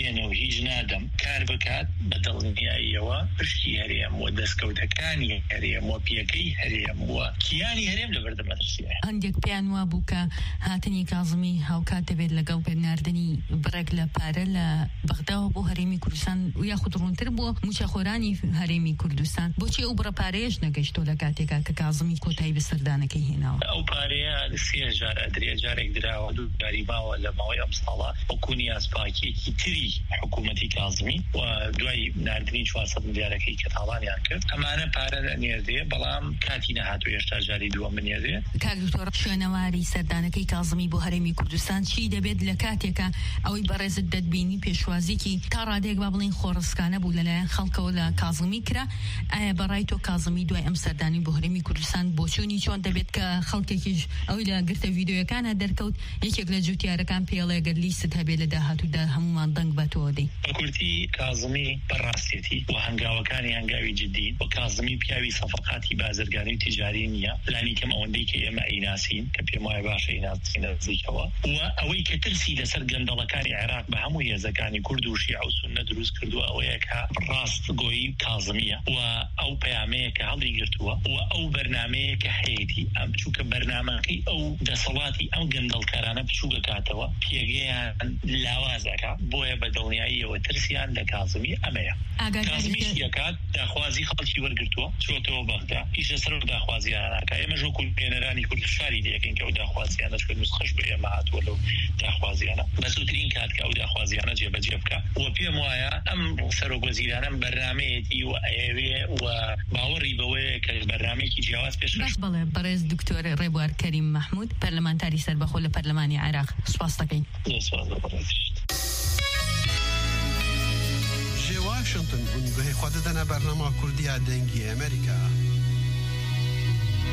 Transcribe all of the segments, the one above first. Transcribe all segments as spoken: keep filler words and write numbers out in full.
نامێنێ و هیچ نادەم کار بکات، بە دڵنیاییەوە پشتی هەرێم و دەستکەوتەکانی هەرێم و پێگەی هەرێم و کیانی هەرێم لە بەردەم مەترسیایە. هەندێک پێیان وا بوو کە هاتنی کازمی هاوکات دەبێت لەگەڵ پێناردنی بڕێک لە پارە لە بەغداوە بۆ هەرێمی کوردستان و یاخود ڕوونتر بۆ موچەخۆرانی هەرێمی کوردستان. بۆچی ئەو بڕە پارەیەش نەگەشتۆ لە کاتێکا کە کازمی کۆتایی بە سەردانەکەی هێناوە؟ ئەو پارەیە سێ جار ئەدرێ، جارێک دراوە، دوو جاری ماوە لە ماوەی ئەم ساڵە وەکو نیازپاکیەکی تری حکوومەتی کازمی و دوای ناردنی چوار سەد ملیارەکەی کە تاڵانیان کرد. ئەمانە پارە نێردێ، بەڵام کاتی نەهاتوو، هێشتا جاری دووەم بنێردێ. کاک دکتۆر، شوێنەواری سەردانەکەی کازمی بۆ هەرێمی کوردستان چی دەبێت لە کاتێکە ئەوەی بەڕێزت دەتبینی پێشوازیەکی تا ڕادەیەک، با بڵین، خۆڕسکانە بوو لەلایەن خەڵکەوە لە کازمی کرا؟ ئایا بەڕای تۆ کازمی دوای ئەم سەردانی بۆ هەرێمی کوردستان بۆچوونی چۆن دەبێت کە خەڵکێکیش ئەوەی لە گرتە ڤیدیۆیەکانە دەرکەوت، یەکێک لە جوتیارەکان پێڵێ گەر لیست هەبێ لە داهاتوودا هەمومان دەنگ بە تۆ دەین؟ بە کورتی، کازمی بەڕاستێتی و هەنگاوەکانی هەنگاوی جددی و کازمی پیاوی سەفقاتی بازرگانی و تیجاری نییە، لانی کەم ئەوەندەی کە ئێمە ئەیناسین کە پێم وایە باش ئەیناسین نزیکەوە. و ئەوەی کە ترسی لەسەر گەندەڵەکانی عێراق بە هەموو هێزەکانی کورد و شیعە و سوننە دروست کردووە ئەوەیە کە ڕاستگۆیی کازمیە و ئەو پەیامەیە کە هەڵی گرتووە و ئەو بەرنمەیە کە هەیەی ئەم، چونکە بەرنمەکەی ئەو دەسەڵاتی ئەم گەندەڵکارانە بچووکە کاتەوە، پێگەیان لاوازەکە. بۆیە بە دڵنیاییەوە ترسیان لە کازمی ئەمەیە. ئاگاداری کازمی کە شتیەکات، داخوازی خەڵکی وەرگرتووە، چۆتەوە بەغدا، ئیش لەسەر ئەو داخوازیانە ناکا. ئێمە ژۆ کولێنەرانی کورد فشاری لێکەین کە ئەو داخوازیانە، چکە نوسخەش بە ئێمە هاتووە لەو داخوازیانە، بە زووترین کات کە ئەو داخوازیانە جێبەجێ بکە. و پێم وایە ئەم سەرۆک وەزیرانە ئەم بەرنامەیەتی و ئەیەوێ و باوەڕی بەوەیە کە بەرنامەیەکی جیاواز پێشکەش. بەخ بەڵێ، بەڕێز دکتۆر ڕێبوار کەریم مەحموود، پەرلەمانتاری سەربەخۆ لە پەرلەمانی عێراق. سوپاس دەکەین. زۆر سوپاس بۆ بەڕێزیشت. Ji Washington hûn guhê xwe didine bernama Kurdiya Dengê Amerîka.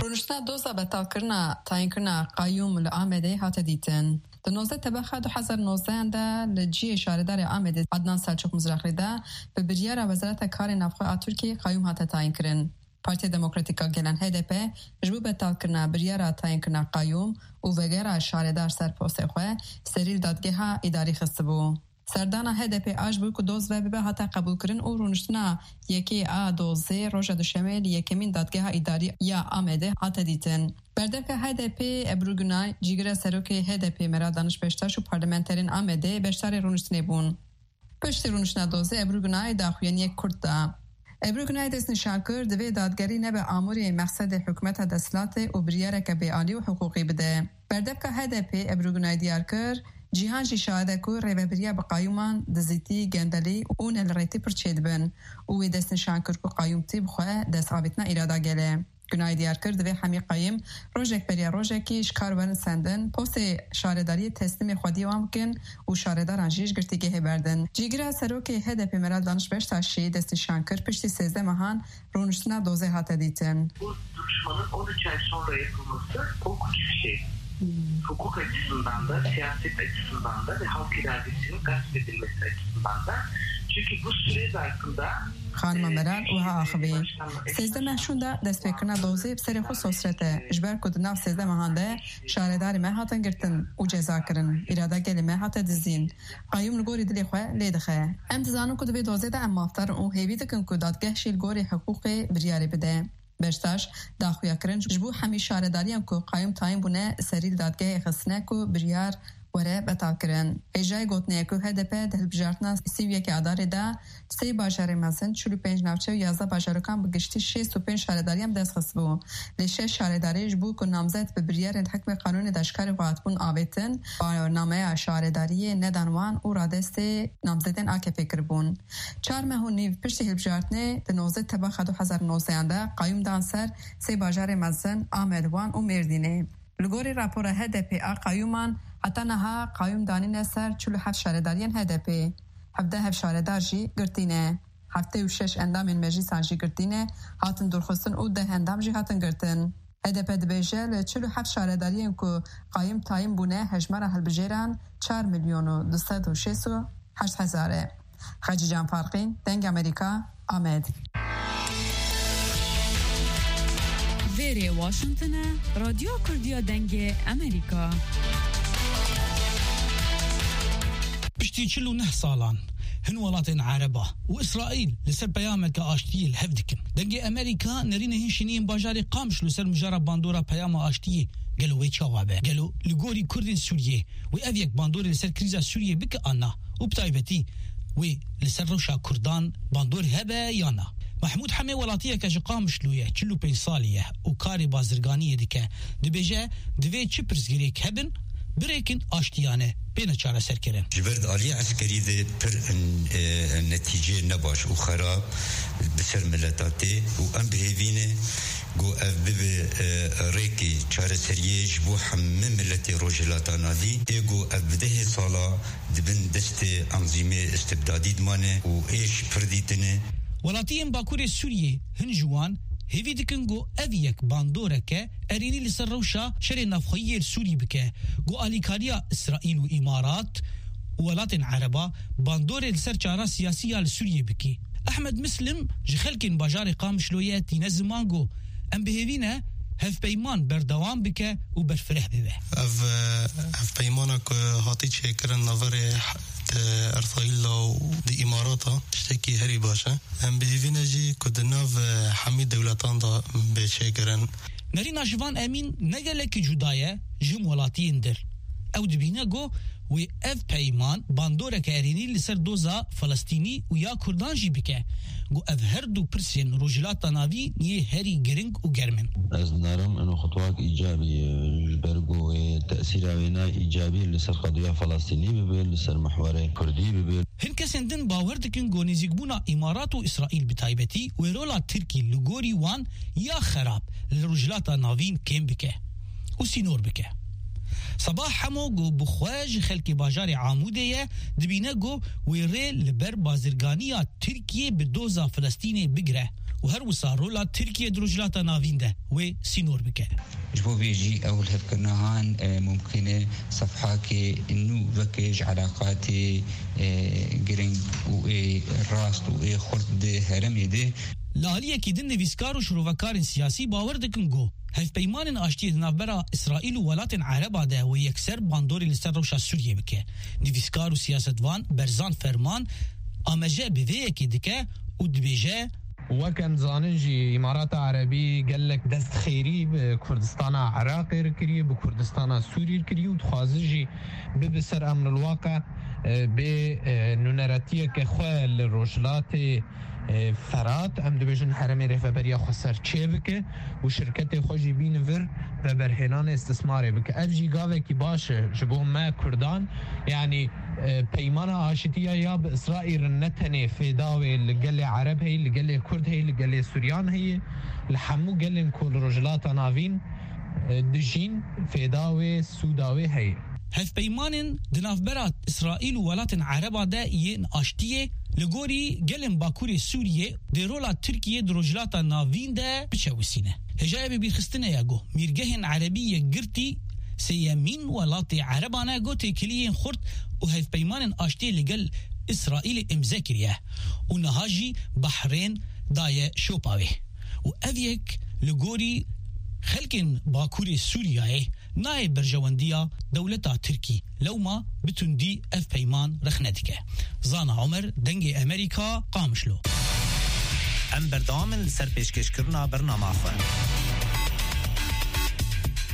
Rûniştina doza betalkirina tayînkirina qayûm li Amedê hate dîtin. Di nozdeh tebexa du hezar nozdehan de li cihê şaredarê Amedê Adnan Selçuk Mizraxlî de bi biryara Wezareta Karê Navxwe a Tirkiyê qayûm hate tayînkirin. Partiya Demokratîk a Gelan, H D P, ji bo betalkirina biryara tayînkirina qayûm û vegera şaredar ser postê xwe, serî li dadgeha îdarî xistibû. Serdana H D P a ji bo ku doz vebibe hate qebûlkirin û rûniştina yekê a dozê roja duşemê li yekemîn dadgeha îdarî ya Amedê hate dîtin. Berdevka H D P Ebru Gunay, cîgira serokê H D P Meral Daniş Beştaş û parlamenterên Amedê beşdarê rûniştinê bûn. Piştî rûniştina dozê Ebru Gunay daxuyaniyek kurt da. Ebru Gunay destnîşan kir, divê dadgerî nebe amûrê mexsedê hikûmeta desthilatê û biryareke bêalî û hiqûqî bide. Berdevka H D P Ebru Gunay diyar kir, cîhan jî şahid e ku rêvebiriya bi qayûman dizîtî, gendelî û nelirêtî pir çêdibin û wê destnîşan kir ku qayûmtî bi xwe dest avêtina îrada gel e. Gunay diyar kir, divê hemî qayûm rojek beriya rojekî ji kar werin sendin, postê şaredariyê teslîmê xwediyê wan bikin û şaredaran jî ji girtîgehê berdin. Cîgira serokê H D P Meral Daniş Beştaş jî destnîşan kir, piştî sêzdeh mehan rûniştina dozê hate dîtin. Bu duruşmanın on üç ay sonra yapılması korkunç bir şey. Hukuk açısından da, siyaset açısından da ve halk iradesinin gasp edilmesi açısından da. Çünkü bu süre zarfında Xanima Meral wiha axivî, sêzdeh meh şûnda destpêkirina dozê bi serê xwe sosret e, ji ber ku di nav sêzdeh mehan de şaredarê me hatin girtin û ceza kirin, îrada gelê me hate dizîn. Qayûm li gorî dilê xwe lê dixe. Em dizanin ku di vê dozê de em mafdar in û hêvî dikin ku dadgeh jî li gorî hiqûqê biryarê bide. Beştaş daxuya kirin ji bo hemî şaredariyan ku qayûm tayîn bûne serî li dadgehê xistine ku biryar were betalkirin. Hêjayî gotinê ye ku H D P di hilbijartina sî û yekê Adarê de sê bajarê mezin, çil û pênc navçe û yazdeh bajarokan bi giştî şêst û pênc şaredariyan bi dest xistibû. Lê şeş şaredarî ji bo ku namzet bi biryarên hikmê qanûnê de ji karê xwe hatibûn avêtin, barnameya şaredariyê nedan wan û radestê namzedên A K P kiribûn. Çar meh û nîv piştî hilbijartinê di nozdeh tebaxa du hezar nozdehan de qayûm dan ser sê bajarê mezin Amed, Wan û Mêrdînê. Li gorî rapora H D P a qayûman, heta niha qayûm danîne ser çil û heft şaredariyên H D P. Hevdeh hev şaredar jî girtî ne. Heftê û şeş endamên meclîsan jî girtî ne, hatin dûrxistin û deh endam jî hatin girtin. H D P dibêje, li çil û heft şaredariyên ku qayûm tayîn bûne, hejmara hilbijêran çar milyon û du sed û şêst û heşt hezar e. Xecîcan Farqîn, Dengê Amerîka, Amed. Vêrê Washington e, Radyo Kurdiya Dengê Amerîka. Piştî çil û neh salan, Hin welatên Ereba û Îsraîl li ser peyameke aştiyê li hev dikin. Dengê Amerîka nerînê hin şêniyên bajarê Qamişlo ser mijara bandora peyama aştiyê gelo wê çawa be? Gelo li gorî Kurdên Sûriyê wê ev yek bandorê li ser krîza Sûriyê bike an na? Û bi taybetî wê li ser rewşa Kurdan bandor hebe ya na? Mehmûd Hemê welatiyeke ji Qamişlo ye, çil û pênc salî ye û karê bazirganiyê dike. Dibêje, divê çi pirsgirêk hebin, birêkin aştiyane bêne çareserkirin. Ji ber di aliyê eskerî de pir, e, netîceyê nebaş û xerab bi ser mileta tê û em bi hêvî ne ku ev bibe, e, rêkê çareseriyê ji bo hemî miletê Rojhilata Navîn. Ê ku ev bi dehê sala di bin destê anzîmê istibdadî dimane û êş pir dîtine. Welatiyên Bakurê Sûriyê hin ji wan hêvî dikin ku ev yek bandoreke erênî li ser rewşa şerê navxweyî yê li Sûrî bike, ku alîkariya Îsraîl û Îmarat û welatên Ereba bandorê li ser çara siyasî ya li Sûriyê bikî. Ehmed Mislim ji xelkên bajarê Qamişlo ye, tîne ziman ku em bi hêvî ne hevpeyman berdewam bike û berfireh bibe. Ev, e, hevpeymana ku hatî çêkirin naverê, e, Îsraîla û di Îmarata tiştekî herî baş e. Em bi hêvî ne jî ku di nav, e, hemî dewletan de bê çêkirin. Nerîna Jivan Emîn ne gelekî cuda ye ji him welatiyên dir. Ew dibîne ku wê ev peyman bandoreke erênî li ser doza Filistînî û ya Kurdan jî bike, ku ev her du pirsên Rojhilata Navîn yê herî giring û germ in. Ez dinarim eno xutwak îcabî ye, ji ber ku wê tesîra wêna îcabî li ser qediya Filistînî bibe, li ser mihwerê Kurdî bibe. Hin kesên din bawer dikin ku nêzîkbûna Îmarat û Îsraîl bi taybetî wê rola Tirkî li gorî wan ya xerab li Rojhilata Navîn kêm bike û sînor bike. Sabah Hemo ku bi xwe ji xelkê bajarê Amûdê ye, dibîne ku wê rê li ber bazirganiya Tirkiyê bi doza Filistînê bigire û her wisa rola Tirkiyê di Rojhilata Navîn de wê sînor bike. Ji bo vê jî ew li hevkirina han, e, mumkin e sefhakê nû veke ji eleqatê, e, giring û ê rast û ê xurt di herêmê de. Li aliyekî din nivîskar û şirovekarên siyasî bawer dikin ku hevpeymanên aştiyê di navbera Îsraîl û welatên Ereba de wê yekser bandorê li ser rewşa Sûriyê bike. Nivîskar û siyasetvan Berzan Ferman amaje bi vê yekê dike û dibêje, Wek em dizanin jî Îmarata Erebî gelek dest xêrî bi Kurdistana Iraqê re kiriye, bi Kurdistana Sûrî re kiriye û dixwaze jî bibe ser emrulwaqe, e, bê, e, nûneretiyeke xwe li Rojhilatê, e, Ferat, em dibêjin herêmê Rêveberiya Xweser çêbike û şirketê xwe jî bîne vir veberhênanê istismarê bike. Ev jî gavekî baş e ji bo me Kurdan, yanî, e, peymana aşitiya ya bi Îsraîl re ne tenê fêda wê li gelê Ereb heye, li gelê Kurd heye, li gelê Suryan heye, li hemû gelên ku li Rojhilata Navîn, e, dijîn, fêda wê, sûda wê heye. Hevpeymanên di navbera Îsraîl û welatên Ereba de yên aştiyê li gorî gelên Bakurê Sûriyê dê rola Tirkiyê di Rojhilata Navîn de biçewisîne. Hêjayê bibîrxistinê ye ku mîrgehên Erebî Yekgirtî sêyemîn welatê Ereban e ku têkiliyên xurt û hevpeymanên aştiyê li gel Îsraîlê îmze kiriye û niha jî Behrên daye şopa wê. Û ev yek li gorî xelkên Bakurê Sûriyeyê nayê berjewendiya dewleta Tirkî, lewma bi tundî ev peyman rexne dike. Zana Omer, Dengê Emerîka, Qamişlo. Em berdewam in li ser pêşkêşkirina bernama xwe.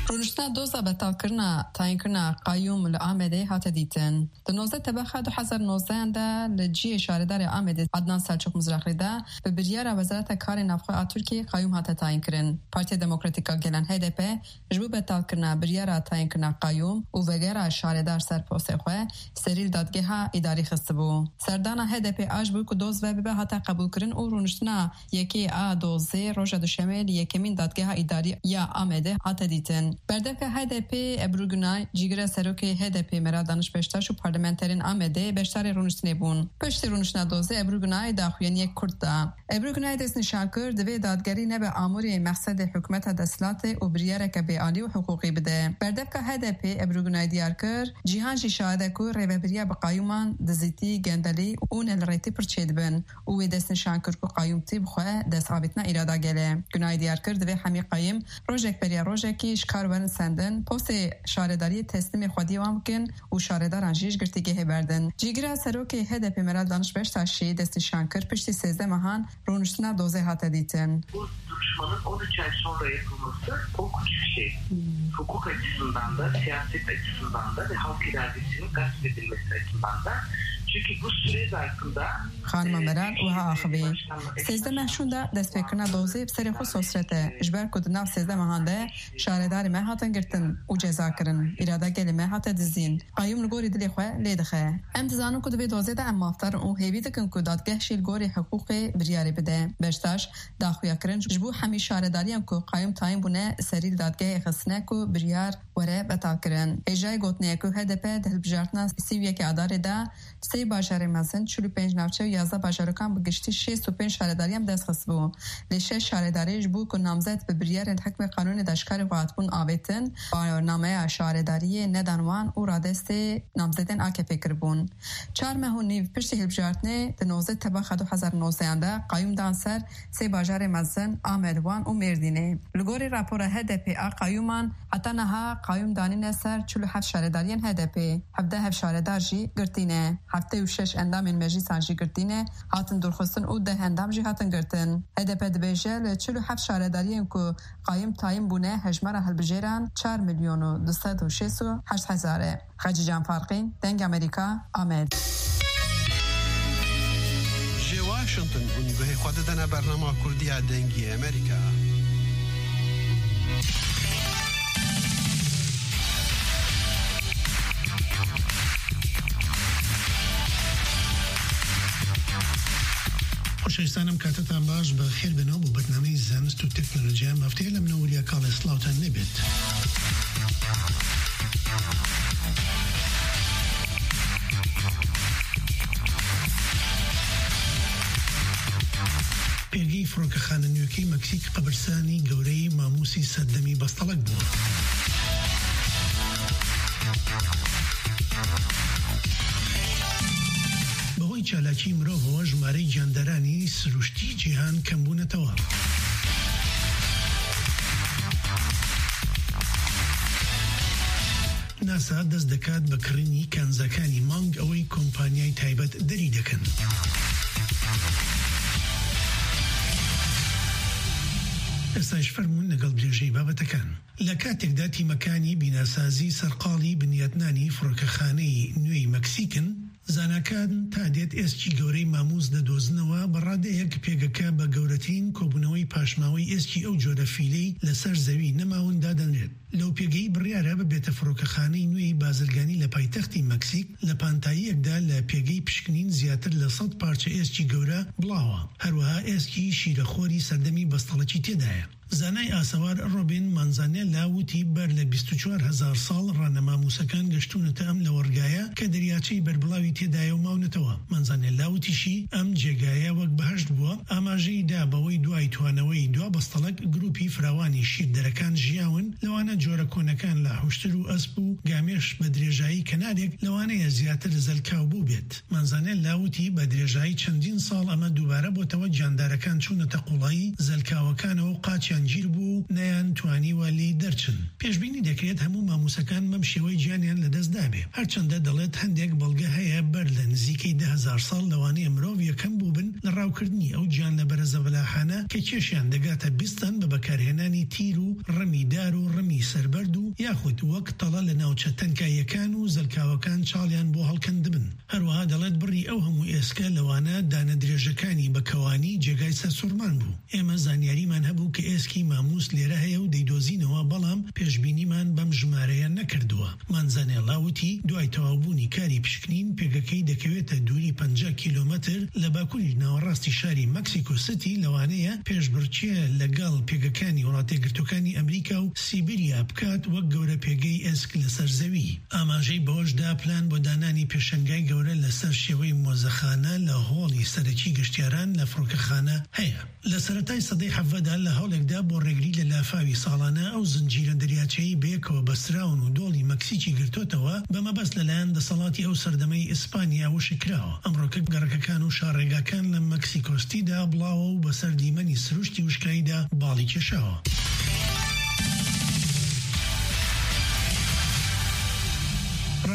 Rûniştina doza betalkirina tayînkirina qayûm li Amedê hate dîtin. Di nozdeh tebexa du hezar nozdeh de li cihê şaredarê Amedê Adnan Selçuk Mizrakli de bi biryara Wezareta Karê Navxwe a Tirkiyê qayûm hate tayînkirin. Partiya Demokratîk a Gelan, H D P, ji bo betalkirina biryara tayînkirina qayûm û vegera şaredar ser postê xwe serî li dadgeha îdarî xistibû. Serdana H D P a ji bo ku doz ve bibe hate qebûlkirin û rûniştina yekê a dozê roja duşemê li yekemîn dadgeha îdarî ya Amedê hate dîtin. Berdevka H D P Ebru Günay, cîgira serokê H D P Meral Danış Beştaş û parlamenterên Amedê beşdarê rûniştinê bûn. Piştî rûniştina dozê Ebru Günay daxuyaniyek kurt da. Ebru Günay destnîşan kir, divê dadgerî nebe amûrê mexsedê hikûmeta desthilatê û biryareke bêalî û hiqûqî bide. Berdevka H D P Ebru Günay diyar kir, cîhan jî şahid e ku rêvebiriya bi qayûman dizîtî, gendelî û nelirêtî pir çêdibin û wê destnîşan kir ku qayûmtî bi xwe dest avêtina îrada gel e. Günay diyar kir, divê hemî qayûm rojek beriya rojekî ji kar werin sendin, postê şaredariyê teslîmê xwediyê wan bikin û şaredaran jî ji girtîgehê berdin. Cîgira serokê H D P Meral Daniş Beştaşî destnîşan kir, piştî sêzdeh mehan rûniştina dozê hate dîtin. Bu duruşmanın on üç ay sonra yapılması korkunç bir şey. Hukuk açısından da, siyaset açısından da ve halk iradesinin gasp edilmesi açısından da. Çünkü bu süre zarfında Xanima Meral wiha axivî: Sêzdeh meh şûnda destpêkirina dozê bi serê xwe sosret e. Ji ber ku di nav sêzdeh mehan de şaredarê me hatin girtin û ceza kirin, îrada gelê me hate dizîn, qayûm li gorî dilê xwe lê dixe. Em dizanin ku di vê dozê de em mafdar in û hêvî dikin ku dadgeh jî li gorî hiqûqê biryarê bide. Beştaş daxuya kirin ji bo hemî şaredariyan ku qayûm tayîn bûne serî li dadgehê xistine ku biryar were betalkirin. Hêjayê gotinê ye ku H D P di hilbijartina sî û yekê Adarê de sê bajarê mezin, çil û pênc navçe û yazdeh bajarokan bi giştî şêst û pênc şaredariyan bi dest xistibû. Lê şeş şaredarê ji bo ku namzet bi biryarên hikmê qanûnê de ji karê xwe hatibûn avêtin, bawernameya şaredariyê nedan wan û radestê namzedên A K P kiribûn. Çar meh û nîv piştî hilbijartinê di nozdeh Tebaxa du hezar û nozdehan de qayûm dan ser sê bajarê mezin, Amed, Wan û Mêrdînê. Li gorî rapora H D P a qayûman, heta niha qayûm danîne ser çil û heft şaredariyên H D P. Hevdeh hevşaredar jî girtî ne. Heftê û şeş endamên meclîsan jî girtî ne, hatin dûrxistin û deh endam jî hatin girtin. H D P dibêje, li çil û heft şaredariyên ku qayûm tayîn bûne, hejmara hilbijêran çar milyon û du sed û şêst û heşt hezar e. Xecîcan Farqîn, Dengê Amerîka, Amed. Ji Washington hûn guhê xwe didine bernama Kurdiya Dengê Amerîka. Xoşewîstan, em katetan baş, bi xêr bin û bo bernameyê zanist û teknolojiya em hafteye li min û Wiliya Kalê Slawtan nebêt. Pêgî Frokexa nûkê Meksîk qebirsani gewreyî mamûsî serdemî bestelik bû. Bi holî çalakî mirovê, jimareyê giyandaranî sirûştî cîhan kembûnetewe. NASA dest diket bi kirînî kanzakani mang, ewê kompaniyayê taybet derî dikin. Êsta ji fermûn legal dirêjî babetekan. Li katekda tîmekani bînasazî serqalî binyatnanî frokekaneyî nû yê Meksîk in, zanakan ta dêt êskî gewreyî mamûs didozinêwe, bi radeyek pêgeke bi gewretirîn kobûneweyî paşmaweyî êskî ew cûre fîleyî li ser zewî nemawin dadenrêt. Lewpêgeyî biryar e bibête frokekaneyî nû yê bazirganî li paytextê Meksîk, li pantayiyekda li pêgeyî pişkinîn ziyatir li sed parçe êskî gewre bilawa. Herwiha êskî şîrexorî serdemî bestelekî tê de ye. Zanayê asewar Robin Manzanella witî ber li bîst û çar hezar sal re ne mamûsekan geştûnete em lewergaya ke deryacheyê berbilawî tê de ye û mawnetewe. Manzanella witî jî, em cêgaye wek behişt bû. Amajeyî da be wê duayî tuaneweyî dua bestelek grûpî firawanî şîrderekan jiyawin, li wane cûre konekan li huştir û esp û gamêş bi dirêjayî kenarek, li wane ye ziyatir zelkaw bû bêt. Manzanella witî, bi dirêjayî çendîn sal eme dubare botewe giyandarekan çûnete qulayî zelkawekan û qaçiyan cîr bû, neyan twanî welî derçin. Pêşbînî dekrêt hemû mamûsekan bem şêweyî ciyaniyan li dest dabe. Her çende delêt hendek belge heye ber li nizîkî du hezar sal li wane ye mirov yekem bûbin li rawkirdinî ew ciyan li berezevela hane ke kêşiyan digate bîstan bi bekarhênanî tîr û rimî dar û rimî serberd û yaxud wek tele li navçe tenka yekan û zelkawekan çaliyan bo helkendibin. Herwiha delêt birî ew hemû êske li wane dane dirêjekanî bi kewanî cêgayî sersûrman bû. Ême zanyarîman hebû ke êskî mamûs lêre heye û deydozînewe, belam pêşbînîman bem jimareye nekirdiwe. Manzanella witî, duay tewabûnî karî pişkinîn, pêgekeyî dekewête dûrî penca kîlometr li bakurî nawerastî şarî Mexico City, li wane ye pêşbirçî li gel pêgekanî Welatê Girtokanî Amerîka û Sîbirya bikat wek gewre pêgeyî êsk li ser zewî. Amajeyî bi hoş da plan bo dananî pêşengayî gewre li ser şêweyî mozexane li holî serekî giştyaran li firokexane heye. Li seretayê sedê hevdeh de li hewlek de bo rêgirî li lafawî salane ew zincîre deryaçeyî bi yekwe bestirawin û dolî Meksîkî girtotewe, bi mebest li layan deselatî ew serdemeyî Îspanya wişk kirawe. Emroke gerkekan û şarrêgakan li Meksîko City de bilawe û bi ser dîmenî sirûştî wişkayî de balî kêşawe.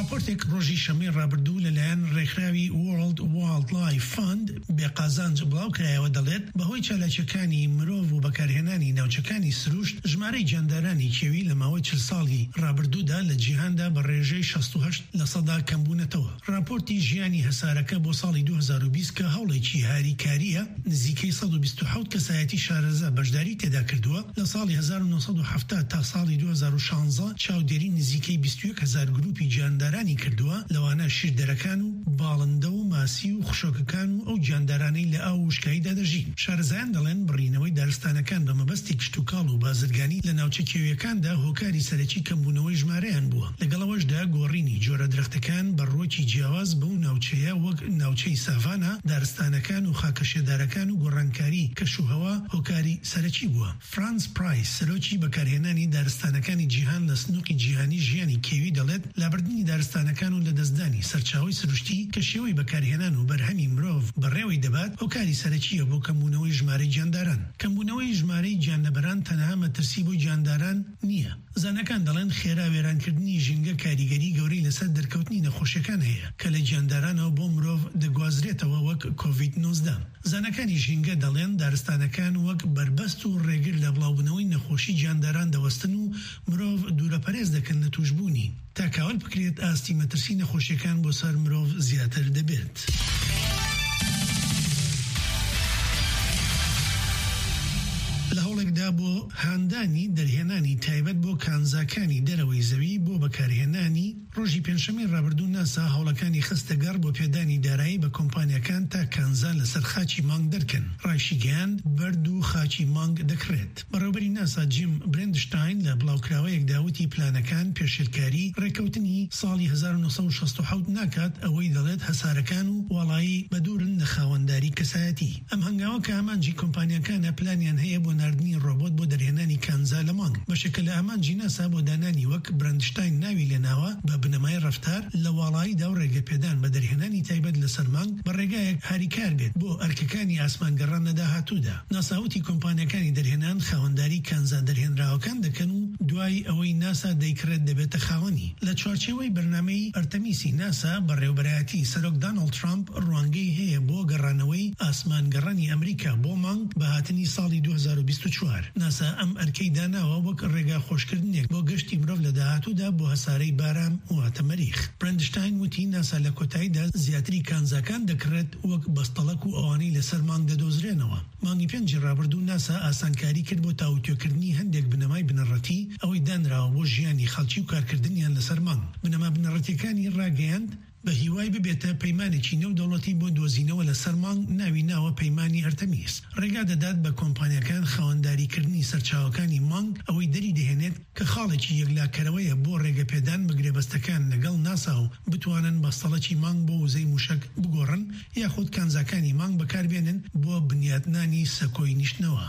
راپۆرتێک ڕۆژی شەممەی ڕابردوو لەلایەن ڕێکخراوی World Wildlife Fund بێ قازانج بڵاو کرایەوە، دەڵێت بەهۆی چالاکیەکانی مرۆڤ و بەکارهێنانی ناوچەکانی سروشت، ژمارەی گیاندارانی کێوی لە ماوەی چل ساڵی ڕابردوودا لە جیهاندا بە ڕێژەی شەست و هەشت لە سەدا کەمبوونەتەوە. راپۆرتی ژیانی هەسارەکە بۆ ساڵی دوو هەزار و بیست، کە هەوڵێکی هاریکارییە، نزیکەی سەد و بیست و حەوت کەسایەتی شارەزا بەشداری تێدا کردووە. لە ساڵی هەزار و نۆ سەد و حەفتا تا ساڵی دوو هەزار و شانزە، چاودێری نزیکەی بیست و یەک هەزار گروپی گیاندارانی کردووە، لەوانە شیردەرەکان و باڵندە و ماسی و خشۆکەکان و ئەو گیاندارانەی لە ئاو و وشکاییدا دەژین. شارەزایان دەڵێن بڕینەوەی دارستانەکان بە مەبەستی کشتوکاڵ و بازرگانی لە ناوچە کێویەکاندا هۆکاری سەرەکی کەمبوونەوەی ژمارەیان بووە. لەگەڵ ئەوەشدا، گۆڕینی جۆرە درەختەکان بە ڕووەکی جیاواز بەو ناوچەیە، وەک ناوچەی ساڤانا، دارستانەکان و خاکە شێدارەکان و گۆڕانکاری کەشوهەوا هۆکاری سەرەکی بووە. فرانس پرایس، سەرۆکی بەکارهێنانی دارستانەکانی جیهان لە سنووقی جیهانی ژیانی کێوی، دەڵێت لابردنی دارستانەکان و لەدەستدانی سەرچاوەی سروشتی کە شێوەی بەکارهێنان و بەرهەمی مرۆڤ بەڕێوەی دەبات، هۆکاری سەرەکییە بۆ کەمبوونەوەی ژمارەی گیانداران. کەمبوونەوەی ژمارەی گیانلەبەران تەنها مەترسی بۆ گیانداران نییە. زانەکان دەڵێن خێرا وێرانکردنی ژینگە کاریگەری گەورەی لەسەر دەرکەوتنی نەخۆشیەکان هەیە کە لە گیاندارانەوە بۆ مرۆڤ دەگوازرێتەوە، وەک کۆڤید نۆزدە. زانەکانی ژینگە دەڵێن دارستانەکان وەک بەربەست و ڕێگر لە بڵاوبوونەوەی نەخۆشی گیانداران دەوەستن و مرۆڤ دوورەپەرێز دەکەن لە توشبوونی، تا کاول بکرێت ئاستی مەترسی نەخۆشیەکان بۆ سەر مرۆڤ زیاتر دەبێت. لە هەوڵێکدا بۆ هاندانی دەرهێنانی تایبەت بۆ کانزاکانی دەرەوەی زەوی بۆ بەکارهێنانی، ڕۆژی پێنجشەممەی ڕابردوو ناسا هەوڵەکانی خستە گەڕ بۆ پێدانی دارایی بە کۆمپانیاکان تا کانزا لەسەر خاچی مانگ دەرکەن. ڕایشی گەیاند بەرد و خاچی مانگ دەکڕێت. بەڕێوەبەری ناسا جیم برندشتاین لە بڵاوکراوەیەکدا وتی پلانەکان پێشێلکاری ڕێکەوتنی ساڵی هەزار و نۆ سەد و شەست و حەوت ناکات، ئەوەی دەڵێت هەسارەکان و واڵایی بەدوورن لە خاوەنداری کەسایەتی. ئەم هەنگاوە کە ئامانجی کۆمپانیاکانە، پلانیان هەیە بۆ ناردنی ڕۆبۆت بۆ دەرهێنانی کانزا لە مانگ. بەشێکە لە ئامانجی ناسا بۆ دانانی، وەک برندشتاین ناوی لێناوە، بە بنەمای ڕەفتار لە واڵاییدا و ڕێگەپێدان بە دەرهێنانی تایبەت لەسەر مانگ بە ڕێگایەک هاریکار بێت بۆ ئەرکەکانی ئاسمانگەڕان لە داهاتوودا. ناسا وتی کۆمپانیاکانی دەرهێنان خاوەنداری کانزا دەرهێنراوەکان دەکەن و دوای ئەوەی ناسا دەیکڕێت دەبێتە خاوەنی. لە چوارچێوەی بەرنامەی ئەرتەمیسی ناسا، بەڕێوەبەرایەتی سەرۆک داناڵد ترامپ ڕوانگەی هەیە بۆ گەڕانەوەی ئاسمانگەڕانی ئەمریکا بۆ مانگ بە هاتنی ساڵی دوو هەزار و بیست و چوار. ناسا ئەم ئەرکەی داناوە وەک ڕێگا خۆشکردنێک بۆ گەشتی مرۆڤ لە داهاتوودا بۆ هەسارەی بارام واتە مەریخ. برندشتاین وتی ناسا لە کۆتاییدا زیاتری کانزاکان دەکڕێت وەک بەستەڵەک و ئەوانەی لەسەر مانگ دەدۆزرێنەوە. مانگی پێنجی ڕابردوو ناسا ئاسانکاری کرد بۆ تاوتوێکردنی هەندێک بنەمای بنەڕەتی ئەوەی دانراوە بۆ ژیانی خەڵکی و کارکردنیان لەسەر مانگ. بنەما بنەڕەتیەکانی ڕاگەیاند بە هیوای ببێتە پەیمانێکی نێودەوڵەتی بۆ دۆزینەوە لەسەر مانگ، ناوی ناوە پەیمانی ئەرتەمیس. ڕێگا دەدات بە کۆمپانیاکان خاوەنداریکردنی سەرچاوەکانی مانگ، ئەوەی دەری دەهێنێت کە خاڵێکی یەکلاکەرەوەیە بۆ ڕێگەپێدان بە گرێبەستەکان لەگەڵ ناسا و بتوانن بەستەڵەکی مانگ بۆ وزەی موشک بگۆڕن، یاخود کانزاکانی مانگ بەکاربێنن بۆ بنیاتنانی سەکۆی نیشتنەوە.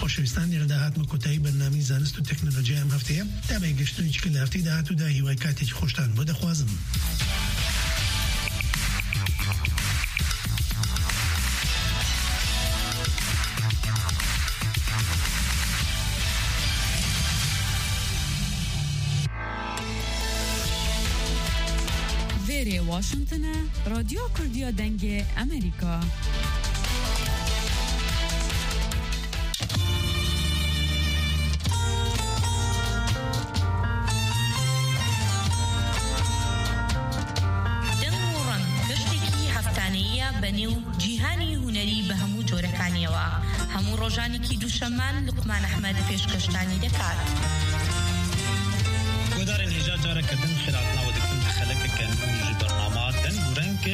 خۆشەویستان، لێرەدا هاتمە کۆتایی بەرنامەی زانست و تەکنەلۆجیای ئەم هەفتەیە. تا بەیەکگەشتنێکی کە لە هەفتەی داهاتوودا، هیوای کاتێکی خۆشتان بۆ دەخوازم. Vêrê Washington e, Radyo Kurdiya Dengê Amerîka. دەنگ و ڕەنگ، گەشتێکی هەفتانەییە بە نێو جیهانی هونەری بە هەموو جۆرەکانیەوە. هەموو ڕۆژانێکی دووشەممان لوقمان ئەحمەد پێشکەشتانی دەکات. گۆدارên hêja careke din xêrhatina we dikin bi xelekeke nû ji bernama Deng û Reng.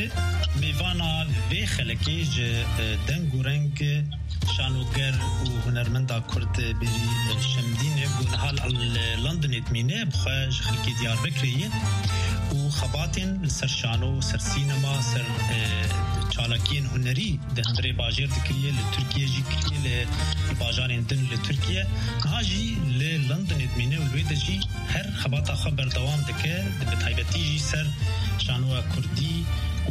Mêvana vê xelekê ji, e, Deng û Reng şanoger û hunermenda Kurd Bêrî Şemdîn e, ku niha li Londonê dimîne, bi xwe ji xelkê Diyarbekirê ye û xebatên li ser şano, ser sînema, ser, e, çalakiyên hunerî di hundirê bajêr dikiriye, li Tirkiye jî kiriye, li bajarên din li Tirkiye. Niha jî li Londonê dimîne û li wê de jî her xebata xwe berdewam dike, bi taybetî jî ser şanoya kurdî,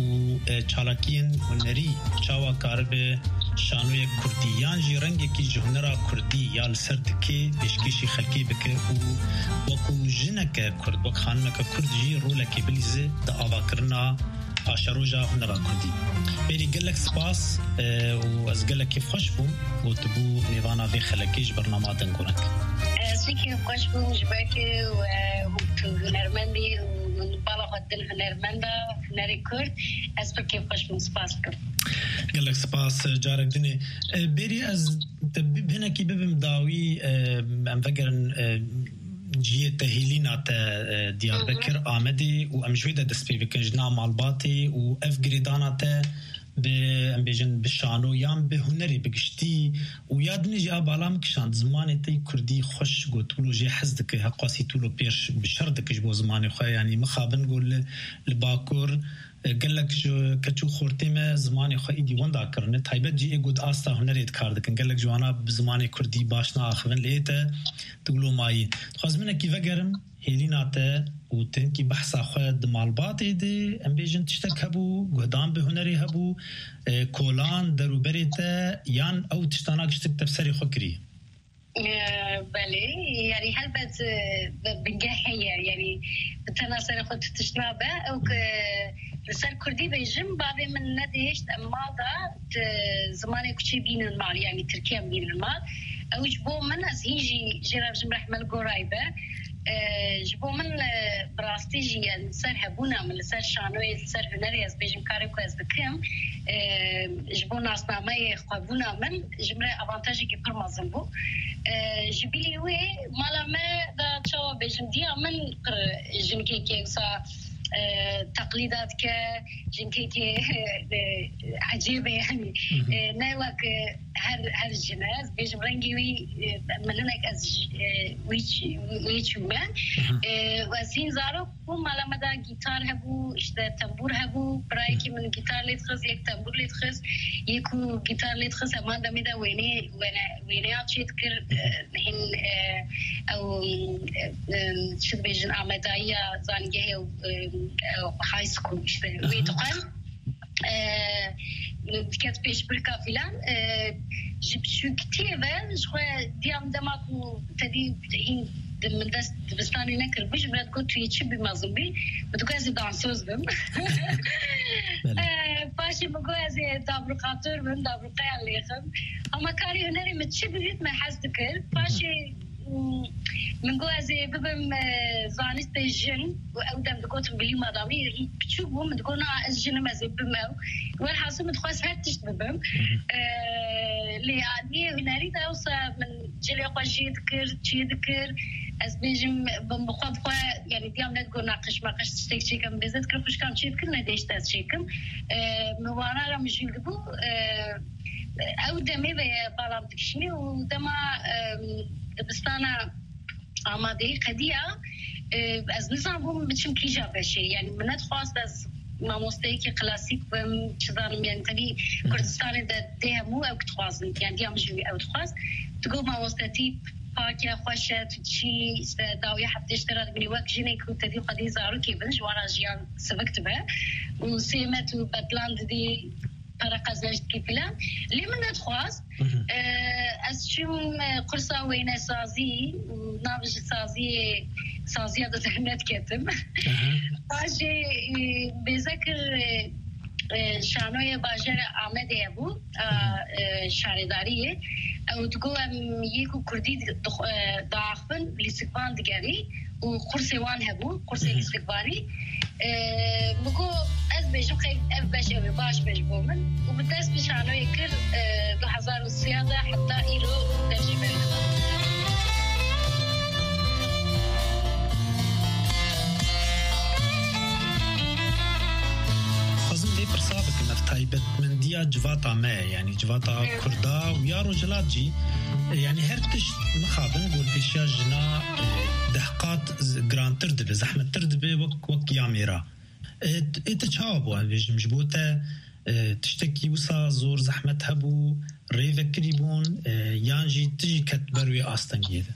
û, e, çalakiyên hunerî çawa karibe şanoyek kurdî yan jî rengekî ji hunera kurdî ya li ser dikê pêşkêşî xelkê bike û wekû jineke kurd, wek xanimeke kurd jî rolekê bilîze di avakirina paşeroja hunera kurdî. Berî gelek spas, e, û ez gelek kêfxweş bûm ku tu bû mêvana vê xelekê ji bernama Dengoreng. Ez jî kêfxweş bûm ji ber ku, e, tu hunermendî û bala xwe dil hunermenda hunerê kurd. Ez pir kêfxweş bûm, spas dikim. Gelek spas, carek dinê. E, berî ez te bi-, hinekî bibim dawî, e, em vegerin, e, cihê te hêlîna te, e, Diyarbekir, Amedê û em ji wê de dest pê bikin, ji nav malbatê û ev girêdana te bi, em bêjin, bi şano yan bi hunerê bi giştî û ya dinê jî a bala min kişand, zimanê te yî kurdî xweş got, wilo jê hez dike, heqasî tu lo pêş bi şer dike ji bo zimanê xwe, yanî mixabin got li, li Bakur, e, gelek ji keç û xortê me zimanê xwe îdî wenda kirine, taybet jî ê got asta hunerê dikar dikin, gelek ji wana bi zimanê kurdî baş naaxivin, lê ê te tu wilo mayî. Dixwazim hinekî vegerim hêlîna te û tu hinkî behsa xwe di malbatê de, em bêjin, tiştek hebû, guhdan bi hunerê hebû, e, kolan, derûberê te, yan ew tiştana giştik te bi serê xwe kirî? E, belê, yanî helbet, e, bi-, bingeh heye, yanî bi tena serê xwe tu tişt nabe, ew ku li ser kurdî bêjim, bavê min nedihişt em mal da, di zimanê kuçê bînin mal, yanî tirkî em bînin mal. Ew ji bo min, ez hîn jî jê re bijim rehme li gorayî be. E, ji bo min, e, bi rastî jî, yani, li ser hebûna min, li ser şanoyê, li ser hunerê, ez bêjim, karê ku ez dikim, e, ji bo nasnameyê xwebûna min, ji min re avantajekî pir mezin bû. E, ji bilî wê, mala me de, çawa bêjim, diya min pir jinkekê wisa, e, teqlîda dike, jinkekê, e, ecêb e, yani, Hı hı. e, ne wek, e, her, her jin e. Ez bêjim rengê wî, e, min hinek ez ji, e, wî çi-, wî çûme. Hı hı. E, û ez hîn zarok bûm, mala me de gîtar hebû, işte tembûr hebû. Birayekî Hı. min gîtar lê dixist, yek tembûr lê dixist. Yek ku gîtar lê dixist, heman demê de wênê, wêne-, wêneya çê dikir, Hı hı. e, hîn, e, ew, e, e, çi dibêjin, amedayiya zanîngehê, e, e, high school, işte, Hı wê hı. dixwend. E, diket pêşbirka filan, e, ji biçûktiyê ve ji xwe diyam dema ku tedî hîn di-, min dest dibistanê nekiribû, ji min re digot, "Tu yê çi bî mezin bî?" Min digot, "Ez ê dansöz bim." Belê. E, paşê min got, "Ez ê dabruqatör bim, dabruqeyan lêxim." Ama karê hunerê min çi bibît, min hez dikir. Paşê Min got, "Ez ê bibim, e, zanistê jin." Û ew dem digotin, bilî madamî biçûk bû, min digot, "Na, ez jin im, ez ê bibim ew." Welhasil min dixwest her tişt bibim. E, lê aliyê hunerî de wisa min cilê xwe jê dikir, çê dikir. Ez bêjim, bi, bi xwe, bi xwe, yani, diyam nedigot naqîş maqîş tiştek çêkim, bêze dikir, xwişkam çê dikir, nedêşt ez çêkim. E, min wana re mijûl dibû, e, Ew demê ve ye bala min dikişînî û dema, em, dibistana Amadeyî qediya, e, ez nizanbûm biçim kîja beşê. Yani min nedixwast ez mamosteyekî klasîk bim, çi zanim, yani tevî Hı hı. Kurdistanê de dê hemû ew dixwazin. Yani diya min jî ew dixwast. Digot, "Mamostetî pak e, xweş e, tu çî, işte dawiya heftê ji te re dibînî wek jinê ku tevî xwedî zarokê bin, ji wan re jiyan sivik dibe. Û sêmet û bedlan didî." Para qezenç dikî filan. Lê min nedixwast. Hı hı. Ee, ez çûm, e, kursa wênesazî û nav ji saziyê, saziya de zehmet ketim. Hı hı. Paşê, e, bêze kir, e, e, şanoyê bajarê Amedê hebû, a, Hı hı. e, şaredariyê. Ew digot, "Em yê ku kurdî di-, dix-, e, diaxivin, lîstikvan digerî." û kursê wan hebû, kursê Hı hı. lîstikvanî. E, min got, "Ez bêjim, qey ev beş ev ê baş be ji bo min." Û min dest bi şanoyê kir, e, du hezar û sê de heta îro dev jê berdibû. Xwazim vê pirsa bikim, ev taybetmendiya civata me, yani civata Hı. Kurda û ya Rojhilat jî, e, yani her tişt mixabin gorpêşiya jina, e, deh qat z-, girantir dibe, zehmettir dibe wek, wek ya mêra. E, t-, ê te çawa bû, em bêjim, ji bo te, e, tiştekî wisa zor zehmet hebû, rê vekirî bûn, e, yan jî tu jî ket ber wê astengiyê de?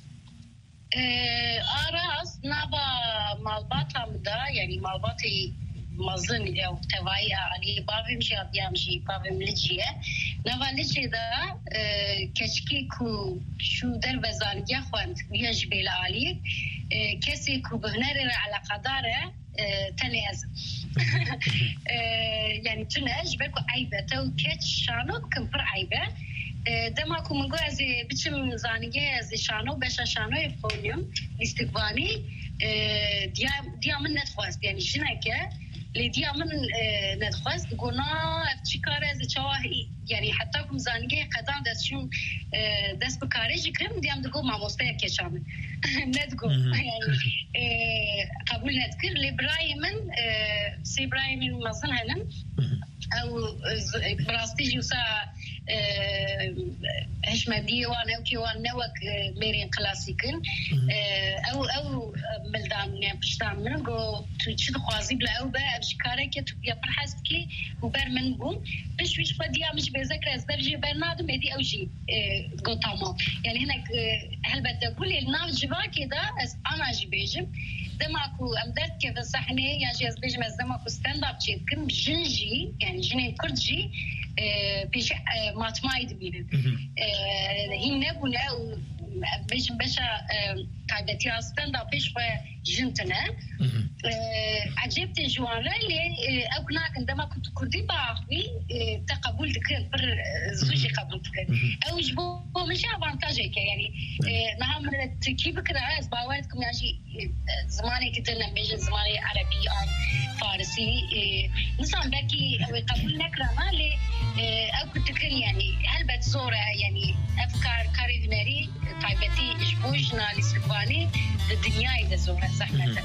E, a rast, nava malbata min de, yani malbatê mezin ew tevayî aliyê bavê min jî, ya diya min jî, bavê min Licî ye. Nava Licê de, e, keçikê ku çû derve zanîngeha xwend, ya jî bêle alî, e, kesê ku bi hunerê re eleqedar e, e, tenê ez im. E, yani tune, ji ber ku eyb e, tew keç şano bikin, pir eyb e. E, dema ku min got ez ê biçim zanîngehê, ez ê şano, beşa şanoyê bixwînim, lîstikvanî, e, diya, diya min nedixwest, yani jinek e, lê diya min, e, nedixwest, digot na, ev çi kar e, ez ê çawa, yani heta ku min zanîngehê qedand, ez çûm, e, dest bi karê jî kirim, diya min digot mamosteya keça min. Nedigot. Mhm. Yani, e, qebûl nedikir. Lê birayê min, e, sê birayê min mezin henin. Mhm. Ew, e, z-, bi rastî jî wisa, e, hişmendiyê wan, ewkê wan ne wek, e, mêrên klasîk in. Mhm. E, ew, ew, e, mildan, yani piştan min, got, tu çi dixwazî bila ew be, ev jî kareke tu ya pir hez dikî û ber min bûn. Pişt wî ji xwe diya min jî bêze kir, ez dev jê ber nadim, êdî ew jî, e, got tamam. Yani hinek, e, helbet de bû, lê li nav civakê de ez ana jî bêjim, dema ku em derdikevin sehnê, yan jî ez bêjim, ez dema ku stand-up çêdikim, jin jî, yani jinên Kurd jî, e, pêşî, e, matmayî dibînin. Mhm. E, hîn nebûne û, em bêjin, beşa, e, taybetiya stand-upê ji xwe jin tune. Mhm. E, ecêb tê ji wan re, lê, e, ew nakin, dema ku tu kurdî biaxivî, e, te qebûl dikin, pir, e, zû jî qebûl dikin. Mhm. Ew ji bo, bo min jî avantajek e, yani, e, niha min tirkî bikira, ez bawer dikim, yan jî, e, zimanekî din, em bêjin zimanê erebî an farisî, e, nizanim, belkî ew ê qebûl nekirana, lê, e, ew ku dikin, yani, helbet zor e, yani, ev kar, karê hunerî, taybetî ji bo jina lîstikvanî di dinyayê de zor e, zehmet e.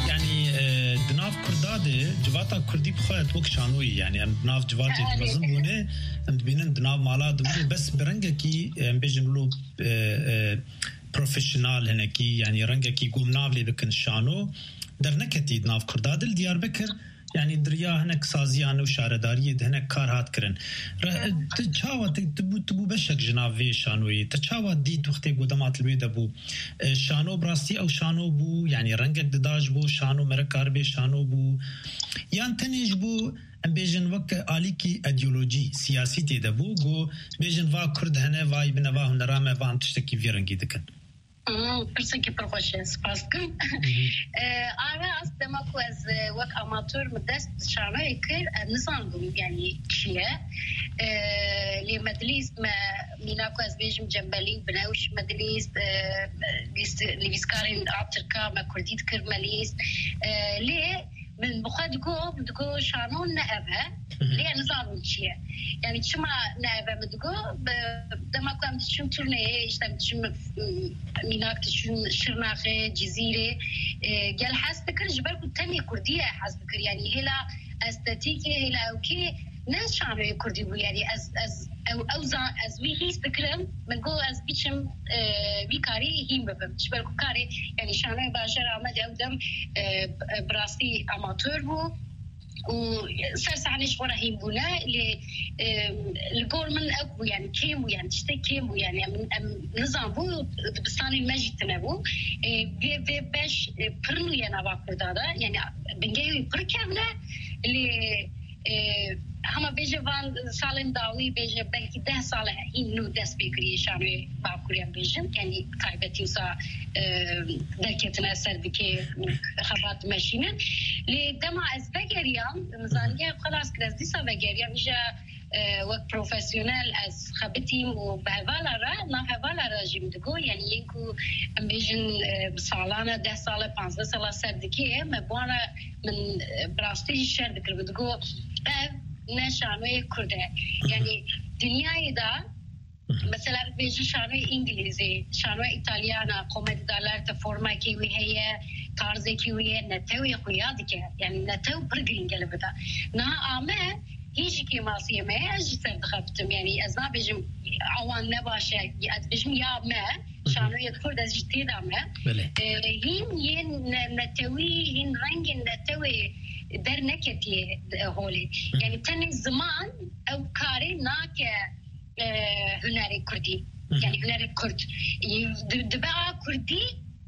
Yani, e, di nav Kurda de civata Kurdî bi xwe wek şanoyî, yani em di nav civatê, erê, mezin bûne, em dibînin di nav mala de bûne, bes bi rengekî, em bêjin wilo, e, e, profesyonel hinekî, yani rengekî ku em nav lê bikin şano, derneketî di nav Kurda de. Li Diyarbekir, yani di riya hinek saziyan û şaredariyê de hinek kar hat kirin. Re-, tu çawa, tu, tu bû, tu bû beşek ji nav vê şanoyê? Te çawa dît wextê ku dema tu li wê de bû? E, şano bi rastî ew şano bû, yani rengek dida ji bo şano, mere karibe şano bû? Yan tenê ji bo, em bêjin, wek alîkî îdeolojî, siyasî tê de bû, ku bêjin va Kurd hene, va yî bine, va hunera me, van tiştekî vî rengî dikin? Hmm, pirsekî pir xweş e, spas dikim. Mhm. E, a rast, dema ku ez, e, wek amatör min dest bi şanoyê kir, e, nizanibûm, yani, çi ye. E, lê me dilîst, me, mîna ku ez bêjim, Cembelî Binewş me dilîst, e, lîst, nivîskarên a tirka me kurdî dikir me lîst. E, lê min bi xwe digo, min digo şano ne ev e. Mhm. Lê ez nizanim çi ye. Yani çima ne ev e, min digo, bi-, dema ku em diçin turneyê, işte em diçin, m-, mînak diçin Şirnaxê, Cizîrê, e, gel hez dikir, ji ber ku tenê kurdî ye hez dikir. Yani hêla estetîkê, hêla ewkê ne şanoyê kurdî bû. Yani ez, ez, ew, ew zan-, ez wî hîs dikirim, min got ez biçim, e, vî karî hîn bibim. Ji ber ku karê, yani şanoyê bajêra Amedê ew dem, e, bi rastî amatör bû û ser sahnê ji xwe re hîn bûne, lê, e, li gor min ew bû, yani kêm bû, yani tiştek kêm bû, yani em, em nizanbû dibistanên me jî tune bû. E, vê, vê beş, e, pir nû ye nava Kurda de, yani bingehê wî pir kevn e, lê, e, hema bêje van salên dawî, bêje belkî deh sal e hîn nû dest pê kiriye şanoyê Bakurê, em bêjin, yani taybetî wisa, e, derketine ser dikê xebat dimeşînin. Lê dema ez vegeriyam, zanîngeha xwe nas kir, ez dîsa vegeriyam, îja, e, wek profesyonel ez xebitîm û bi hevala re, nav hevala re jî min digo, yani yên ku em bêjin, e, bi salan e, deh sal e, panzdeh sal e ser dikê, me bi wan re, min, e, bi rastî jî şer dikir, min digo ev ne şanoyê Kurd e. Yani dinyayê de, mesela, bêjin şanoyê Îngilîzî, şanoyê Îtalyana, komedî dell'arte, formekî wî heye, tarzekî wî ye, netewê xuya dike. Yani netew pir girîng e li vir de. Niha a me, hîn jî kêmasiyê me ye, ez jî ser dixebitim. Yani ez nabêjim awan ne baş e, ez dibêjim ya me, Şanoyê Kurd ez jî tê de me. Belê. E, hîn yên ne-, netewî, hîn rengên netewê derneketiye, e, holê. Hı. Yani tenê ziman ew karê nake, e, hunerê Kurdî. Hı hı. Yani hunerê Kurd. E, di-, dibe a Kurdî,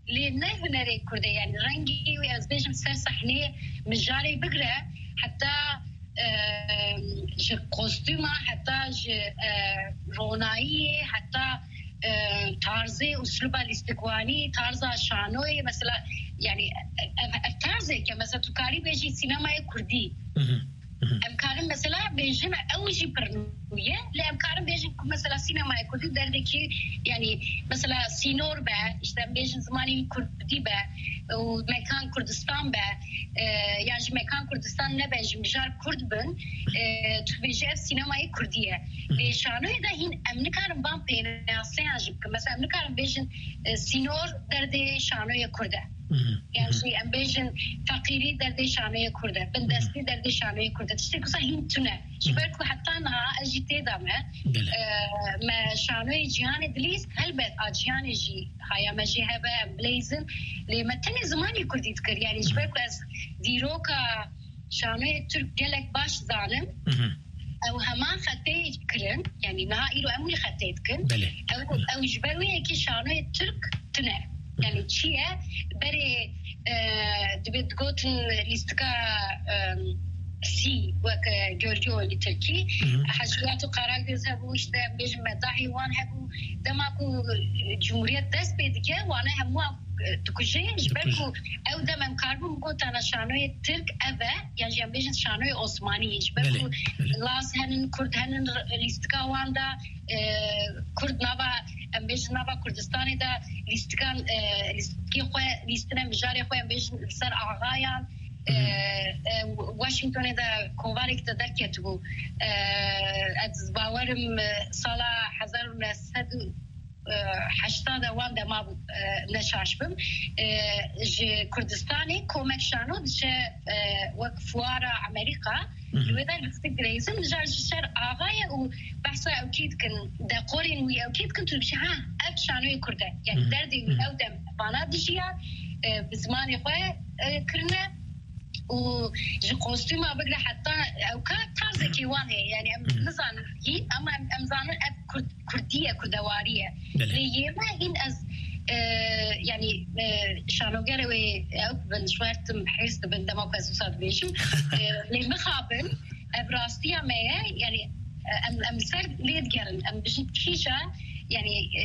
lê ne hunerê Kurd e. Yani rengî wê ez bêjim ser sehneyê mijarê bigre, heta, e, ji kostûma, heta ji, e, ronayiyê, heta, e, tarzê, usluba lîstikwanî, tarza şanoyê, mesela, yani, ev, ev tarzê ke, mesela, tu karî bêjî sînemayê Kurdî. Hı hı. Hı hı. Em karin, mesela, bêjin ew jî pir nû ye, lê em karin bêjin ku, mesela, sînemayê Kurdî derdekî, yani, mesela, sînor be, işte, em bêjin zimanê Kurdî be, û mekan Kurdistan be, e, yan jî mekan Kurdistan nebe, ji mijar Kurd bin, e, tu bêjî ev sînemayê Kurdî ye. Hı hı. Lê şanoyê de hîn em nikarin van pênaseyan jî bikin. Mesela, em nikarin bêjin, e, sînor derdê şanoyê Kurd e. Hı hı. Yan jî em bêjin feqîrî derdê şanoyê Kurd e, bindestî derdê şanoyê Kurd e. Tiştê wisa hîn tune. Ji ber ku heta niha ez jî tê de me. Belê. E, me şanoyê cîhanê dilîst, helbet a cîhanê jî haya me jê hebe, em bileyzin. Lê me tenê zimanê Kurdî dikir. Yani ji ber ku ez dîroka şanoyê Tirk gelek baş zanim. Hı hı. Ew heman xetê kirin, yani niha îro em wî xetê dikin. Belê. Ew, ew ji ber wê yekê şanoyê Tirk tune. Yani çi ye? Berê, e, dibe digotin lîstika, e, C wek, e, görgü oyunu Tirkî. Hı hı. Hecwiyat û Karagöz hebû, işte, em bêjin medahê wan hebû. Dema ku, e, Cumhuriyet dest pê dike, wane hemû e, dikuje, ji ber ku ew dem em karibûn bigotana şanoyê Tirk ev e, yan jî em bêjin şanoyê Osmanî, ji ber ku Laz henin, Kurd henin, r-, lîstika wan de, e, Kurd nava, em bêjin nava Kurdistanê de lîstikan, e, lîstikê xwe, lîstine mijarê xwe, em bêjin li ser axayan, e, e, Washingtonê de kovarek de derketibû. E, ez bawerim, e, sala hezar û neh sed û e, heşta de wan dema bû, e, ne şaş bim. E, ji Kurdistanê Komek Şano diçe, e, wek fuara Amerîka, Hı hı. li wê de lîstik dirêzin, mijar ji ser ava ye û behsa ew kî dikin, dekorên wî ew kî dikin, tu dibêjî, ha, ev şanoyê Kurd e. Yani Hı hı. derdê wî Hı hı. ew dem vana dijiya, e, bi zimanê xwe, e, kirine. û ji kostûma bigre heta ewka tarzekî wan heye. Yani em Hmm. nizanin hîn, ama em, em zanin ev Kurd, Kurdî ye, Kurdewarî ye. Belê. Lê yê me hîn ez, e, yani, e, şanogerê wê ew bin, ji wer tim hêrs dibin, dema ku ez wisa dibêjim. E, lê mixabin, ev rastiya me ye, yani, e, em, em li ser lê digerin. Em bijin kîja, yani, e,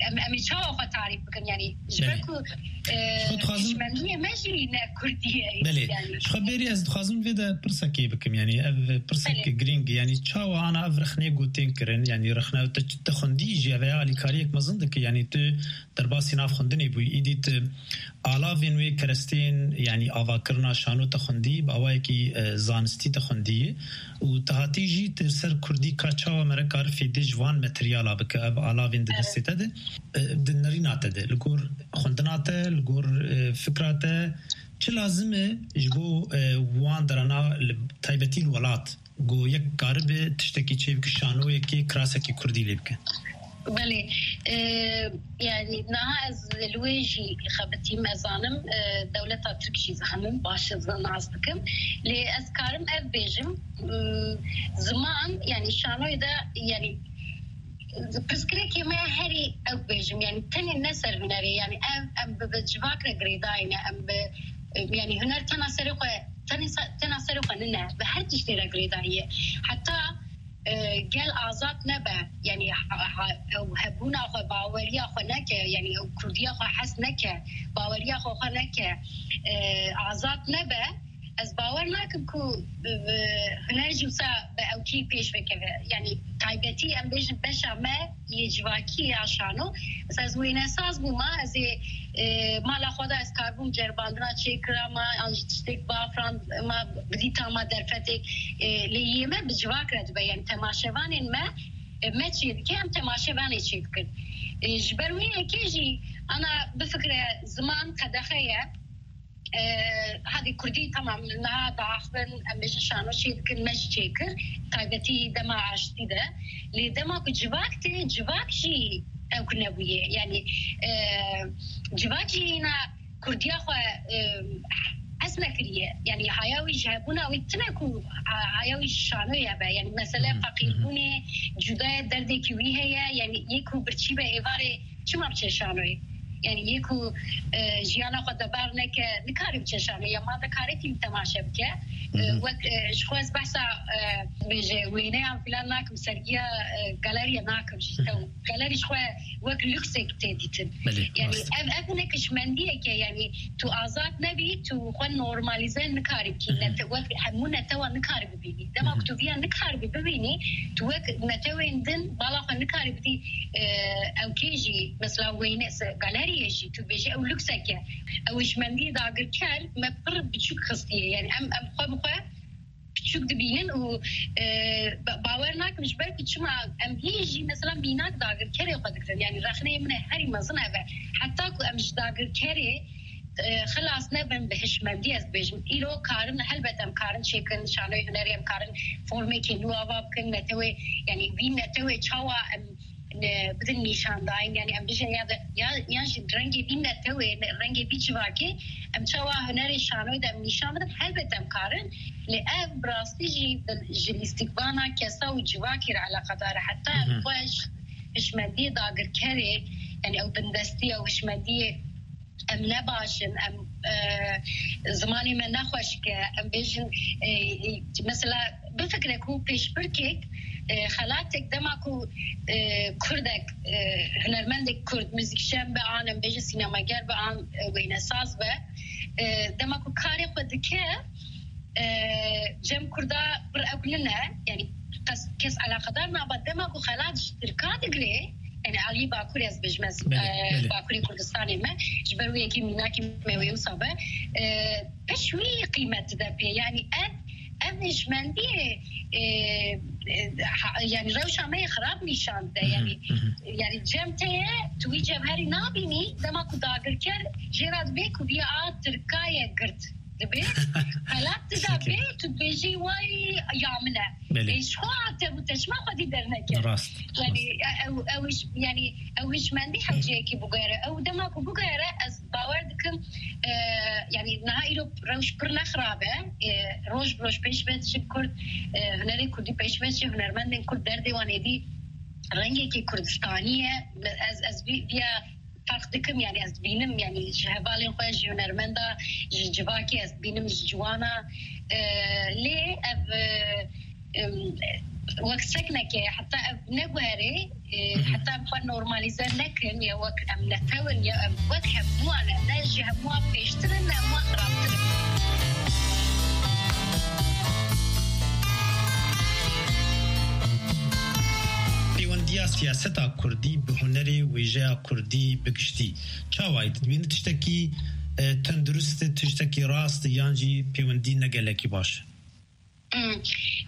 em, em ê çawa xwe tarîf bikin, yani, ji ber Belê. ku, e, Ji xwe dixwazim hişmendiyê me jî ne Kurdî ye, Belê. yani. Ji xwe bêrî ez dixwazim vê de pirsekê bikim, yani, ev pirsek Belê. girîng, yani, çawa ana ev rexnê ku tên kirin, yani, rexne te, te xwendî jî ev alîkariyek mezin dike, yani, tu derbasî nav xwendinê bûyî, îdî tu alavên wê kerestên, yanî avakirina şano te xwendî, bi awayekî, e, zanistî te xwendî û te hatî jî tu ser kurdî ka çawa mere kar fêdê ji van materyala bike, ev alavên di Evet. destê te de, e, di nerîna te de, li gor xwendina te, li gor, e, fikra te, çi lazim e ji bo, e, wan derana li taybetî li welat? Ku yek karibe tiştekî çêbike, şanoyekê, kirasekî kurdî lê bike. Belê. E, yani niha ez li wê jî xebitîm, ez zanim, e, dewleta Tirk jî zanim, baş ez nas dikim. Lê ez karim ev bêjim, m, ziman, yani şanoyê de, yani pirsgirêkê me herî ew bêjim, yani tenê ne ser hunerê, yani ev, em bi, bi civak re girêdayî ne, em bi, yani huner tena serê xwe, tenê se-, tena serê xwe nine, bi her tiştê re girêdayî ye. Heta, e, gel azad nebe, yani ha, ha, ew hebûna xwe, baweriya xwe neke, yani ew kurdiya xwe hes neke, baweriya xwe xwe neke, e, azad nebe, ez bawer nakim ku bi, bi huner jî wisa bi ewkî pêş vekeve. Yani taybetî em bêjin beşa me yê civakî ya şano. Mesela ez wênesaz bûma, ez ê, e, mala xwe de ez karbûm ceribandina çêkira ma, an jî tiştek bafirand ma, bidîta ma derfetek, e, lê yê me bi civak re dibe. Yani temaşevanên me, e, me çê dike, em temaşevanê çê dikin. E, ji ber wê yekê jî ana bifikire ziman qedexe ye. E, hadî kurdî temam, niha diaxivin, em bêjin şano çê dikin, me jî çê kir, taybetî dema aştî de. Lê dema ku civak tê, civak jî Ew ku nebûye. Yanî, e, civakî hîna Kurdiya xwe, e, hes nekiriye. Yanî haya wî ji hebûna wî tune ku ha-, haya wî ji şanoyê hebe. Yanî mesele feqîrbûnê, cudaye derdekî wî heye. Yanî yê ku birçî be êvarê çima biçe şanoyê? Yanî yê ku, e, jiyana xwe debar neke, nikare biçe şanoyê. Ya ma vekarêtî temaşe bike. E, wek, e, ji xwe ez behsa, e, bêje wêneyan filan nakim, sergiya, e, galeriya nakim jî. Tew galerî ji xwe wek lûksek tê dîtin. Belê, yanî rast. Ev, ev hinek hişmendiyek e, yanî tu azad nebî, tu xwe normalîze nikarî bikî. Nete-, wek hemû netewa nikarî bibînî. Dema ku tu viya nikarî bibînî, tu wek netewên din bala xwe nikarî bidî, e, ew kê jî, mesela wêne se-, galeriyê jî, tu bêjî ew lûksek e. Ew hişmendiyê dagirker me pir biçûk xistiye. Yanî em, em xwe bi xwe biçûk dibînin û, e, ba-, bawer nakim ji ber ku çima em hîn jî mesela mînak dagirkerê xwe digirin. Yanî rexneyê min e herî mezin ev e. Heta ku em ji dagirkerê, e, xilas nebin bi hişmendî ez dibêjim. Îro karin, helbet em karin çêkin, şanoyê hunerê em karin formekê nû ava bikin, netewê, yanî vî netewê çawa em ne, bidin nîşandayîn, yanî em bijin ya de, ya, yan jî rengê vî netewê, ne, rengê vî civakê, em çawa hunerê şanoyê de em nîşan bidin, helbet em karin, lê ev bi rastî jî bi, ji lîstikvana kesa û civakê re eleqedar e. Heta em xwe ji hişmendiyê dagirkerê, yanî ew bindestî, ew hişmendiyê em ne baş in, em, e, zimanê me ne xweşik e, em bêjin, e, e, mesela bifikre ku pêşbirkek, e, xelatek dema ku, e, kurdek, e, hunermendek kurd, muzîkjen be an, em bêjin sînemager be an, e, wênesaz be, e, dema ku karê xwe dike, e, cem kurda pir ewlin e, yanî kes, kes eleqedar nabe, dema ku xelat ji tirka digre, yanî aliyê Bakurê ez bêjim ez, Belê, e, belê. Bakurê Kurdistanê me, ji ber wê yekê mînakî me wê wisa be, e, piş wî qîmet dide pê. Yanî ev, ev hişmendiyê, e, e, ha, yanî rewşa me yê xirab nîşan dide. Hı hı, Yanî, hı hı. Yanî cem te ye, tu wî cevherî nabînî, dema ku dagirker jê re dibê ku viya a tirka ye girt. Dibê, xelat dida Çekê. Bê, tu dibêjî, "Way, ya min e." Belê. Ê, ji xwe hate bû, te çima xwedî derneket? Rast, Yanî, rast. E, ew, ew iş, yanî, ew hişmendî hewceyekî bigere. Ew dema ku bigere, ez bawer dikim, e, yanî, niha îro rewş pir ne xirab e. E, roj bi roj pêş ve diçin Kurd, e, hunerê Kurdî pêş ve diçin, hunermendên Kurd derdê wan êdî rengekî Kurdistanî ye. Ez, ez vî, viya ferq dikim, yanî ez dibînim, yanî ji hevalên xwe, ji hunermenda, ji civakê ez dibînim, ji ciwana. E, lê ev, e, em, wek sekneke, heta ev neguherê, e, Hı hı. heta em xwe normalîze nekin, ya wek em netew in, ya em wek hemûyan ne, ne ji hemûyan pêştir in, ne hemûyan xirabtir in. Pêwendiya siyaseta kurdî bi hunerê, wêjeya kurdî bi giştî çawa ye? Tu dibînî tiştekî, e, tendurist e, tiştekî rast e, yan jî pêwendî ne gelekî baş e? Hmm.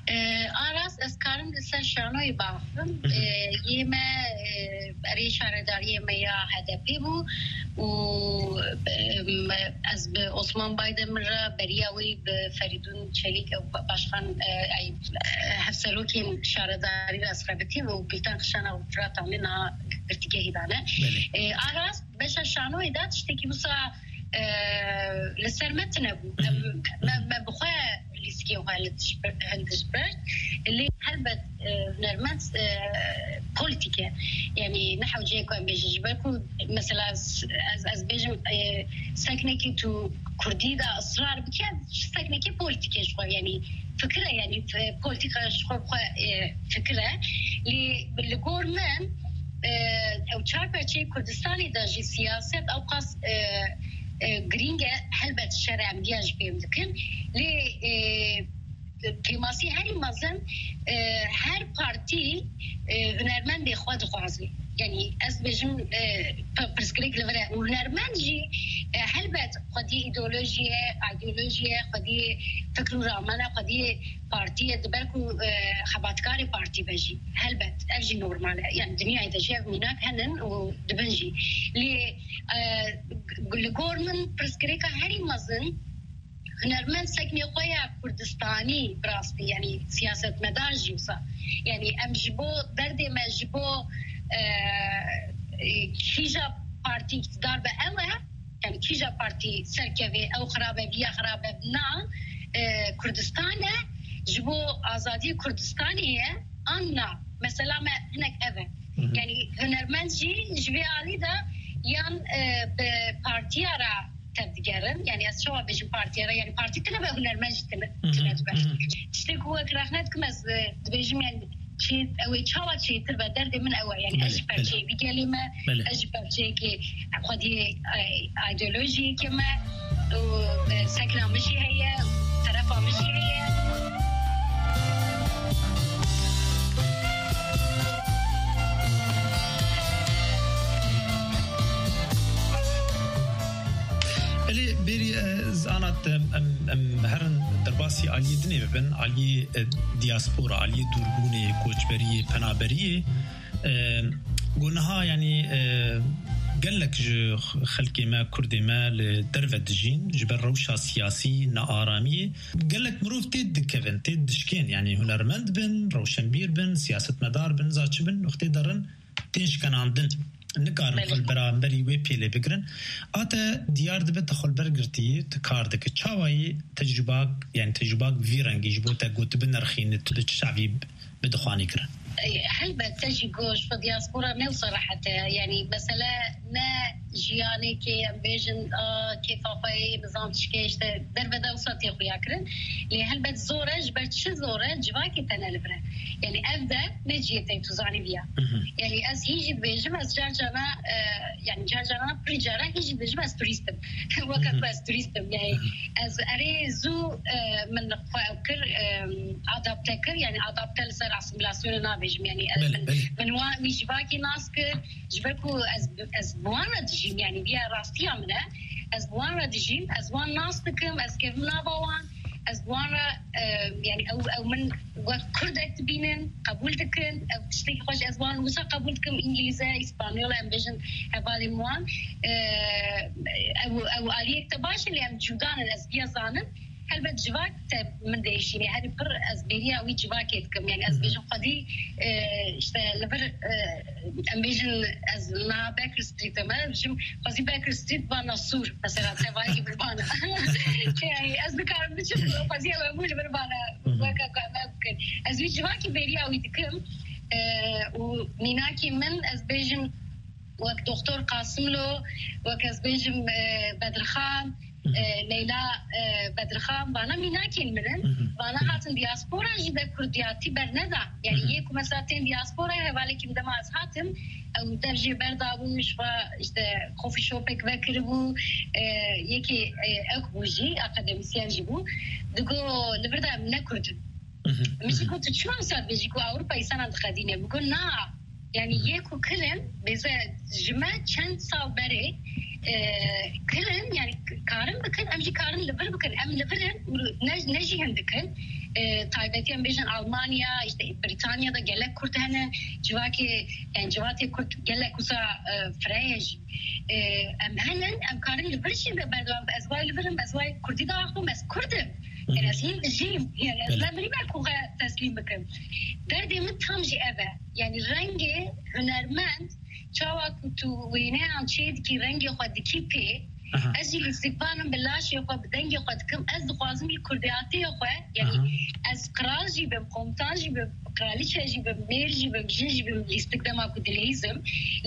E, a rast, ez karim li ser şanoyê biaxivim. Hı hı. E, yê me, e, erê şaredariyê me ya H D P bû û, e, ez bi Osman Baydemir re beriya wî bi Ferîdûn Çelîk, ew ba-, başkan, e, ey, e, hevserokên şaredarî re ez xebitîm û Gulten Xişana û Firat Amê niha girtîgehî dane. Belê. E, a rast, beşa şanoyê de tiştekî wisa, e, li ser me tune bû. Em, me, me bi xwe lîstikê xwe li tişt bir, hildiş bir. Lê helbet, e, hunermend, e, polîtîk e. Yanî ne hewceyê ku em bêjin, ji ber ku mesela s-, ez, ez bêjim, e, seknekî tu kurdî de israr bike, seknekî polîtîk e ji xwe, yanî fikir e, yanî, e, polîtîka ji xwe bi xwe, e, fikir e. Lê li gor min, e, ew çar perçeyê Kurdistanê de jî siyaset ewqas, e, e, girîng e, helbet şer e, em viya jî fêm dikin. Lê, e, kêmasî herî mezin, e, her partî, e, hunermendê xwe dixwaze. Yanî ez dibêjim, e, p-, pirsgirêk li vir e. Û hunermend jî, e, helbet xwediyê îdeolojiyê, îdeolojiyê, xwediyê fikr û ramana, xwediyê partiyê, di ber ku, e, xebatkarê partî be jî. Helbet, ev jî normal e. Yanî dinyayê de jî ev mînak henin û dibin jî. Lê, e, li gor min pirsgirêka herî mezin hunermend seknê xwe ya Kurdistanî bi rastî, yanî siyasetmedar jî wisa. Yanî em ji bo derdê me, ji bo, e, E, kîja partî îktidar be ew e, yani kîja partî serkeve ew xirabe, viya xirabe na, e, Kurdistan e, ji bo azadiyê Kurdistanê ye, an na. Mesela me hinek ev e. Hı hı. Yani hunermend jî ji vê alî de yan, e, bi partiya re tevdigerin. Yani ez çawa bêjim partiya re, yani partî tine be, hunermend jî tine, Hı hı, tine dibe. Hı hı. Tiştê ku wek rexne dikim ez, e, dibêjim yani çê-, ew ê çawa çêtir be, derdê min ew e. Yani ez Belê, ji belê. Perçeyê vî gelê me, Belê. Ez ji perçeyekê xwediyê, e, ideolojiyekê me û, e, sekna min jî heye, terefa min jî heye. Belê, berî, e, zanat, em, em, em herin derbasî aliyê dinê bibin, aliyê, e, diaspora, aliyê dûrbûnê, koçberiyê, penaberiyê. E, ku niha, yanî, e, gelek ji xelkê me, Kurdê me li derve dijîn, ji ber rewşa siyasî, nearamiyê. Gelek mirov tê dikevin, tê dişkên, yanî hunermend bin, rewşenbîr bin, siyasetmedar bin, za çi bin, wextê derin, tên şkenandin. Nikarin Belê. Xwe li beramberî wê pêlê bigirin. A te diyar dibe, te xwe li ber girtiyî, tu kar dike. Çawa yî tecrûbak, yani tecrûbak vî rengî ji bo te got binirxîne, tu bi çi çavî bi dixwanî kirin? Ey, helbet, te jî got, ji xwe diaspora ne wisa rehet e. Yani mesele ne jiyanekê em bêjin, a, kêfa xwe yê, nizam çi ke, işte derve de wisa tê xuya kirin. Lê helbet zor e, ji ber çi zor e? Civakê te ne li vir e. Yani ev de ne cihê te, tu zanî viya. Hı hı. Yani ez hîn jî dibêjim, ez car carna, e, yani car carna, pirî caran hîn jî dibêjim ez turîst im. Weke Hı hı. ku ez turîst im. Yani Hı hı. ez erê zû, e, min xwe ew kir, e, adapte kir, yani adapte li ser asîmîlasyonê nabêjim. Yani ez Belê, min, belê. min wan wî civakî nas kir, ji ber ku ez, ez bi wan re dijîm, yani viya rastiya min e. Ez bi wan re dijîm, ez wan nas dikim, ez kevim nava wan, ez bi wan re, e, yani ew, ew min wek Kurdek dibînin, qebûl dikin, ew tiştekî xweş ez wan wisa qebûl dikim, Îngilîze, Îspanyol, em bêjin hevalên wan. E, ew, ew aliyek te baş e, lê em cuda ne, ez viya zanim. Helbet civak te min diêşîne, herî pir ez bêriya wî civakê dikim. Yani ez Hı hı. bêjim xwedî, e, işte li vir, e, em bêjin ez na Baker Street em, em bêjim xwezî Baker Street bana sûr, mesela tevayî li vir bana. Yani ez nikarim biçim, xwezî ew hemû li vir bana, Hı hı. weke ku em ev bikin. Ez wî civakî bêriya wî dikim, e, û mînakî min ez bêjim wek Doktor Qasimlo, wek ez bêjim, e, Bedirxan, Hı hı. e, Leyla, e, Bedirxan, vana mînakên min in. Hı hı. Vana hatin diaspora jî de kurdiyatî berneda. Yani Hı hı. yê ku mesela tên diaspora, hevalekî min dema ez hatim, ew dev jê berdabû, ji xwe işte coffee shopek vekiribû, e, yekê, e, ek bû jî, akademisyen jî bû. Digo, li vir de em ne kurd in. Hı hı. Min jî Hı hı. got, tu çima wisa dibêjî ku Ewropa însanan dixedîne? Min got, na. Yani Hı hı. yê ku kirin, bêze ji me çend sal berê, e, kirin, yani k-, karin bikin, em jî karin li vir bikin. Em li vir in, ne, ne jî hin dikin. E, taybetî em bêjin Almanya, işte Britanya da gelek Kurd hene, civakê, yani civatê Kurd gelek wisa, e, fireye jî. E, em henin, em karin li vir jî de berdewam. Ez wayê li vir im, ez wayê Kurdî diaxivim, ez Kurd im. Yani ez hîn dijîm. Yani ez Belê. ne mirî me ku xwe teslîm bikim. Derdê min tam jî ev e. Yani rengê hunermend, çawa ku tu wêneyan çê dikî, rengê xwe dikî pê, Aha. ez jî lîstikvan im, bi laşê xwe, bi dengê xwe dikim. Ez dixwazim jî kurdiyatê xwe, yani Aha. ez qral jî bim, komutan jî bim, kraliçe jî bim, mêr jî bim, jin jî bim, lîstik dema ku dileyîzim.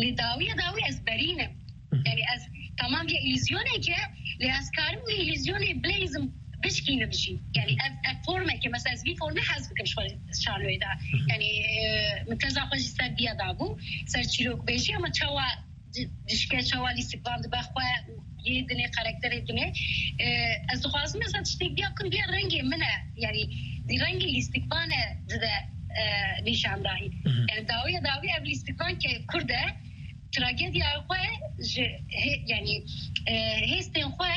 Lê dawiya dawî ez berînim. Hı hı. Yani ez tamam ya îlîzyonek e, lê ez karim wî îlîzyonê bileyzim, bişkînim jî. Yani ev, ev formeke, mesela ez vî formê hez bikim ji xwe şanoyê de. Hı hı. Yani, e, min teza xwe jî ser viya dabû, ser çîrokbêjî, ama çawa di-, dişke, çawa lîstikvan dibe xwe, yê dinê, karakterê dinê. E, ez dixwazim mesela tiştek viya bikim, viya rengê min e. Yani rengê lîstikvan e dide, e, nîşandahî. Hı hı. Yani dawiya dawî ev lîstikvan ke Kurd e, tragediya xwe ji hê-, yani, e, hêstên xwe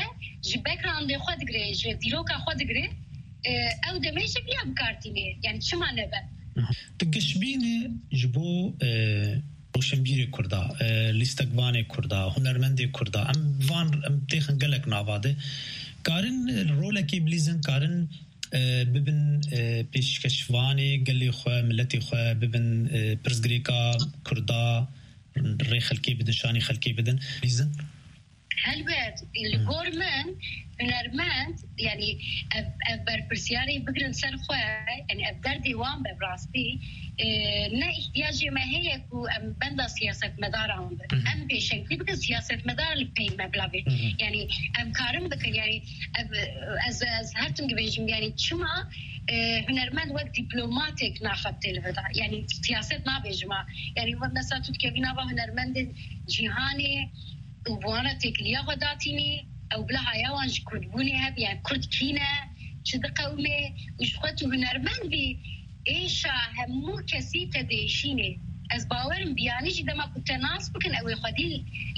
ji backgroundê xwe digire, ji dîroka xwe digire, e, ew demê jî viya bi kar tîne. Yani çima nebe? Tu gişbînî ji bo, e, roşenbîrê Kurda, e, lîstikvanê Kurda, hunermendê Kurda, em van, em têxin gelek nava de, karin rolekê bilîzin, karin, e, bibin, e, pêşkeşvanê gelê xwe, miletê xwe, bibin, e, pirsgirêka Kurda, rê xelkê bidin, şanî xelkê bidin. Bîzin. Helbet, li gor min hunermend, yanî ev, ev berpirsiyarê bigirin ser xwe, yanî ev derdê wan be bi rastî, e, ne îhtiyacê me heye ku em benda siyasetmedaran bin. Hı hı. Em pêşengtî bikin, siyasetmedar li pey me bila bê. Hı hı. Yanî em karin bikin, yanî ev, ez, ez her tim dibêjim, yanî çima, e, hunermend wek dîplomatek naxebitê li vir de? Yanî siyaset nabêjim ha. Yanî mesela tu dikevî nava hunermendên cîhanê, û bi wan re têkiliya xwe datînî, ew bila haya wan ji kurdbûnê hebe, yani kurd kî ne, çi diqewime û ji xwe tu hunermend bî, êşa hemû kesî te diêşînê. Ez bawer im biyanî jî dema ku te nas bikin, ew ê xwedî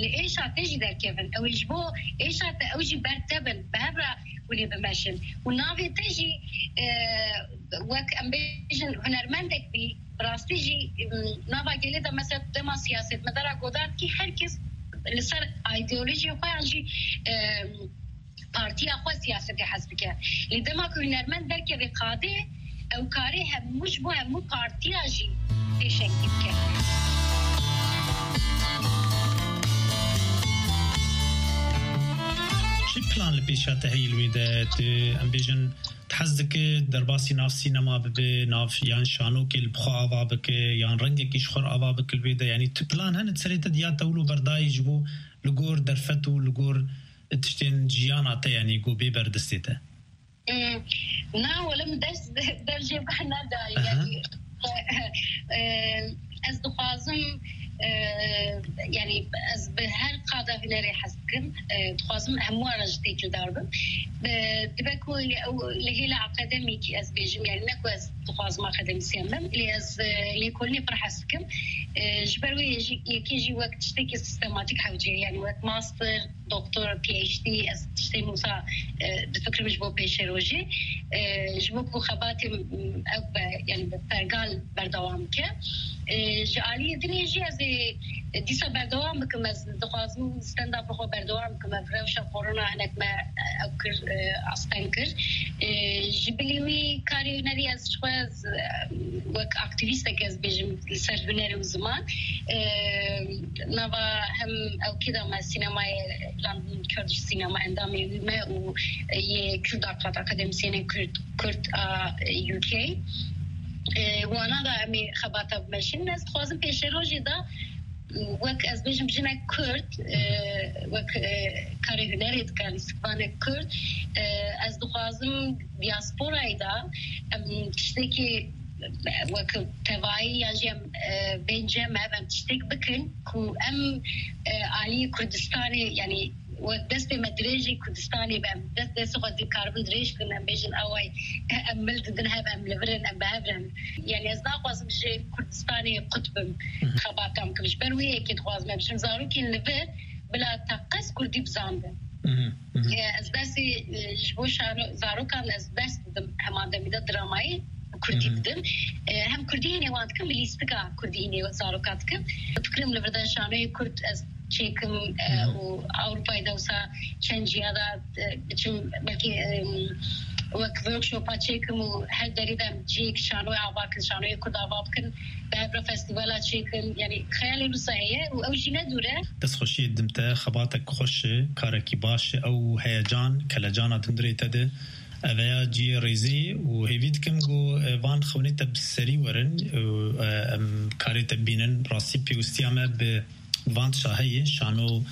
li êşa te jî derkevin. Ew ê ji bo êşa te ew jî ber te bin, bi hev re hûn ê bimeşin. Û navê te jî, e, wek em bêjin hunermendek bî, bi rastî jî, em, nava gelê de mesela dema siyasetmedara godar dikî, her kes li ser îdeolojiyê xwe yan jî, em, partiya xwe siyasetê hez dike. Lê dema ku hunermend derkeve qadê, ew karê hemû ji bo hemû partiya jî pêşengtî bike. Çi plan li pêşa te heye li wê de? Tu, em bêjin, Tu hez dike derbasî nav sînema bibe, nav yan şanokê li bi xwe ava bike, yan rengekî ji xwe re ava bike li wê de? Yanî tu plan hene di serê te de ya te wilo berdayî ji bo li gor derfet û li gor tiştên jiyana te, yanî ku bê ber destê te? Hmm, na, wele min dest, dev jê bernedayî, aha, yanî, e, ez dixwazim, e, yanî ez bi her qada hunerê hez dikim. E, dixwazim hemû ara jî têkildar bim. E, dibe ku li, ew, li hêla akademîkî ez bêjim, yanî ne ku ez dixwazim akademisyen bim, lê ez, e, lêkolînê pir hez dikim. E, ji ber wê jî, yekê jî wek tiştekî sistematîk hewce, yanî wek master, doktor, P H D, ez tiştên wisa, e, difikirim ji bo pêşerojê. E, ji bo ku xebatê, m, ew be, yanî bi pergal berdewam bike. E, ji aliyê dinê jî ez ê dîsa berdewam bikim. Ez dixwazim stand-up xwe berdewam bikim. Ev rewşa korona hinek me, e, ew kir, e, asteng kir. E, ji bilî wî karê hunerî ez ji xwe, ez, e, wek aktîvîstek ez bêjim li ser huner û ziman. E, nava hem ew kê de me sînemayê London Kurdish Cinema endamê wî me û yê Kurd Akat, akademisyenên Kurd, Kurd a U K. E, wana da em ê xebata bimeşin. Ez dixwazim pêşerojê de wek ez bêjim jinek Kurd, e, wek, e, karê hunerê dike, lîstikvanek Kurd. E, ez dixwazim diasporayê de em tiştekî wek tevayî yan jî em, e, bên cem ev em tiştek bikin ku em, e, alî Kurdistanê, yanî wek destê me dirêjî Kurdistanê be, em dest destê xwe dikaribin dirêj bikin, em bêjin away, e, em mil didin hev, em li vir in, em bi hev re in. Yanî ez naxwazim ji Kurdistanê qut bim, xebatan bikim. Ji ber wê yekê dixwazim em bêjim zarokên li vir bila teqez Kurdî bizanibin. Mhm, mhm. E, ez dersê, e, ji bo şano-, zarokan ez ders didim, hema demî de dramayê Kurdî, mhm, didim. E, hem Kurdî hînê wan dikim, bi lîstika Kurdî hînê zarokan dikim. Fikirim li vir de şanoyê Kurd ez çêkim, e, mhm, û Ewropayê de wisa çend ciya de, e, biçim belkî, e, wek workshopa çêkim û her derê de em cihêk şanoyê ava bikin, şanoyê Kurd ava bikin. Bi hev re festîvala çêkin, yanî xeyalê wisa heye û ew jî ne dûr e. Destxweşiyê didim te, xebatek xweş e, karekî baş e, ew heyecan, kelecana di hundirê te de, ev heya cihê rêzî û hêvî dikim ku, e, van xewnê te bi serî werin û, e, em karê te bînin. Rastî pêwistiya me bi van tişa heye, şano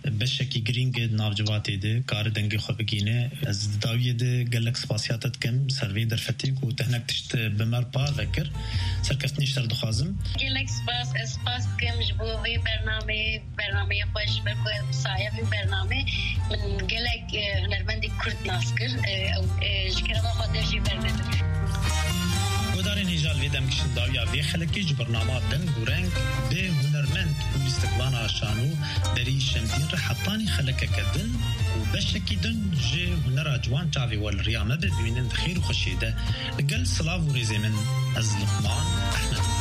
beşekî girîng e di nav civatê de, kare dengê xwe bigihîne. Ez di dawiyê de gelek spasiya te dikim ser vê derfetê ku te hinek tişt bi me re parve kir. Serkeftinê ji te re dixwazim. Gelek spas, ez spas dikim ji bo vê bernameyê, bernameyê xweş, ji ber ku bi saya vê bernamê min gelek, e, hunermendê Kurd nas kir. E, ew, e, ji kerema xwe dev jê bernedin. Guhdarên hêja, li vê dem giştin dawiya vê xelekê ji bernama Deng û Reng bi hunermend û lîstikvana şano Derî Şemdîn re hetanî xelekeke din û beşekî din ji hunera ciwan çavê we li riya me be, bimînin di xêr û xweşiyê de. Li gel silav û rêzê min, ez Luqman Ehmed im.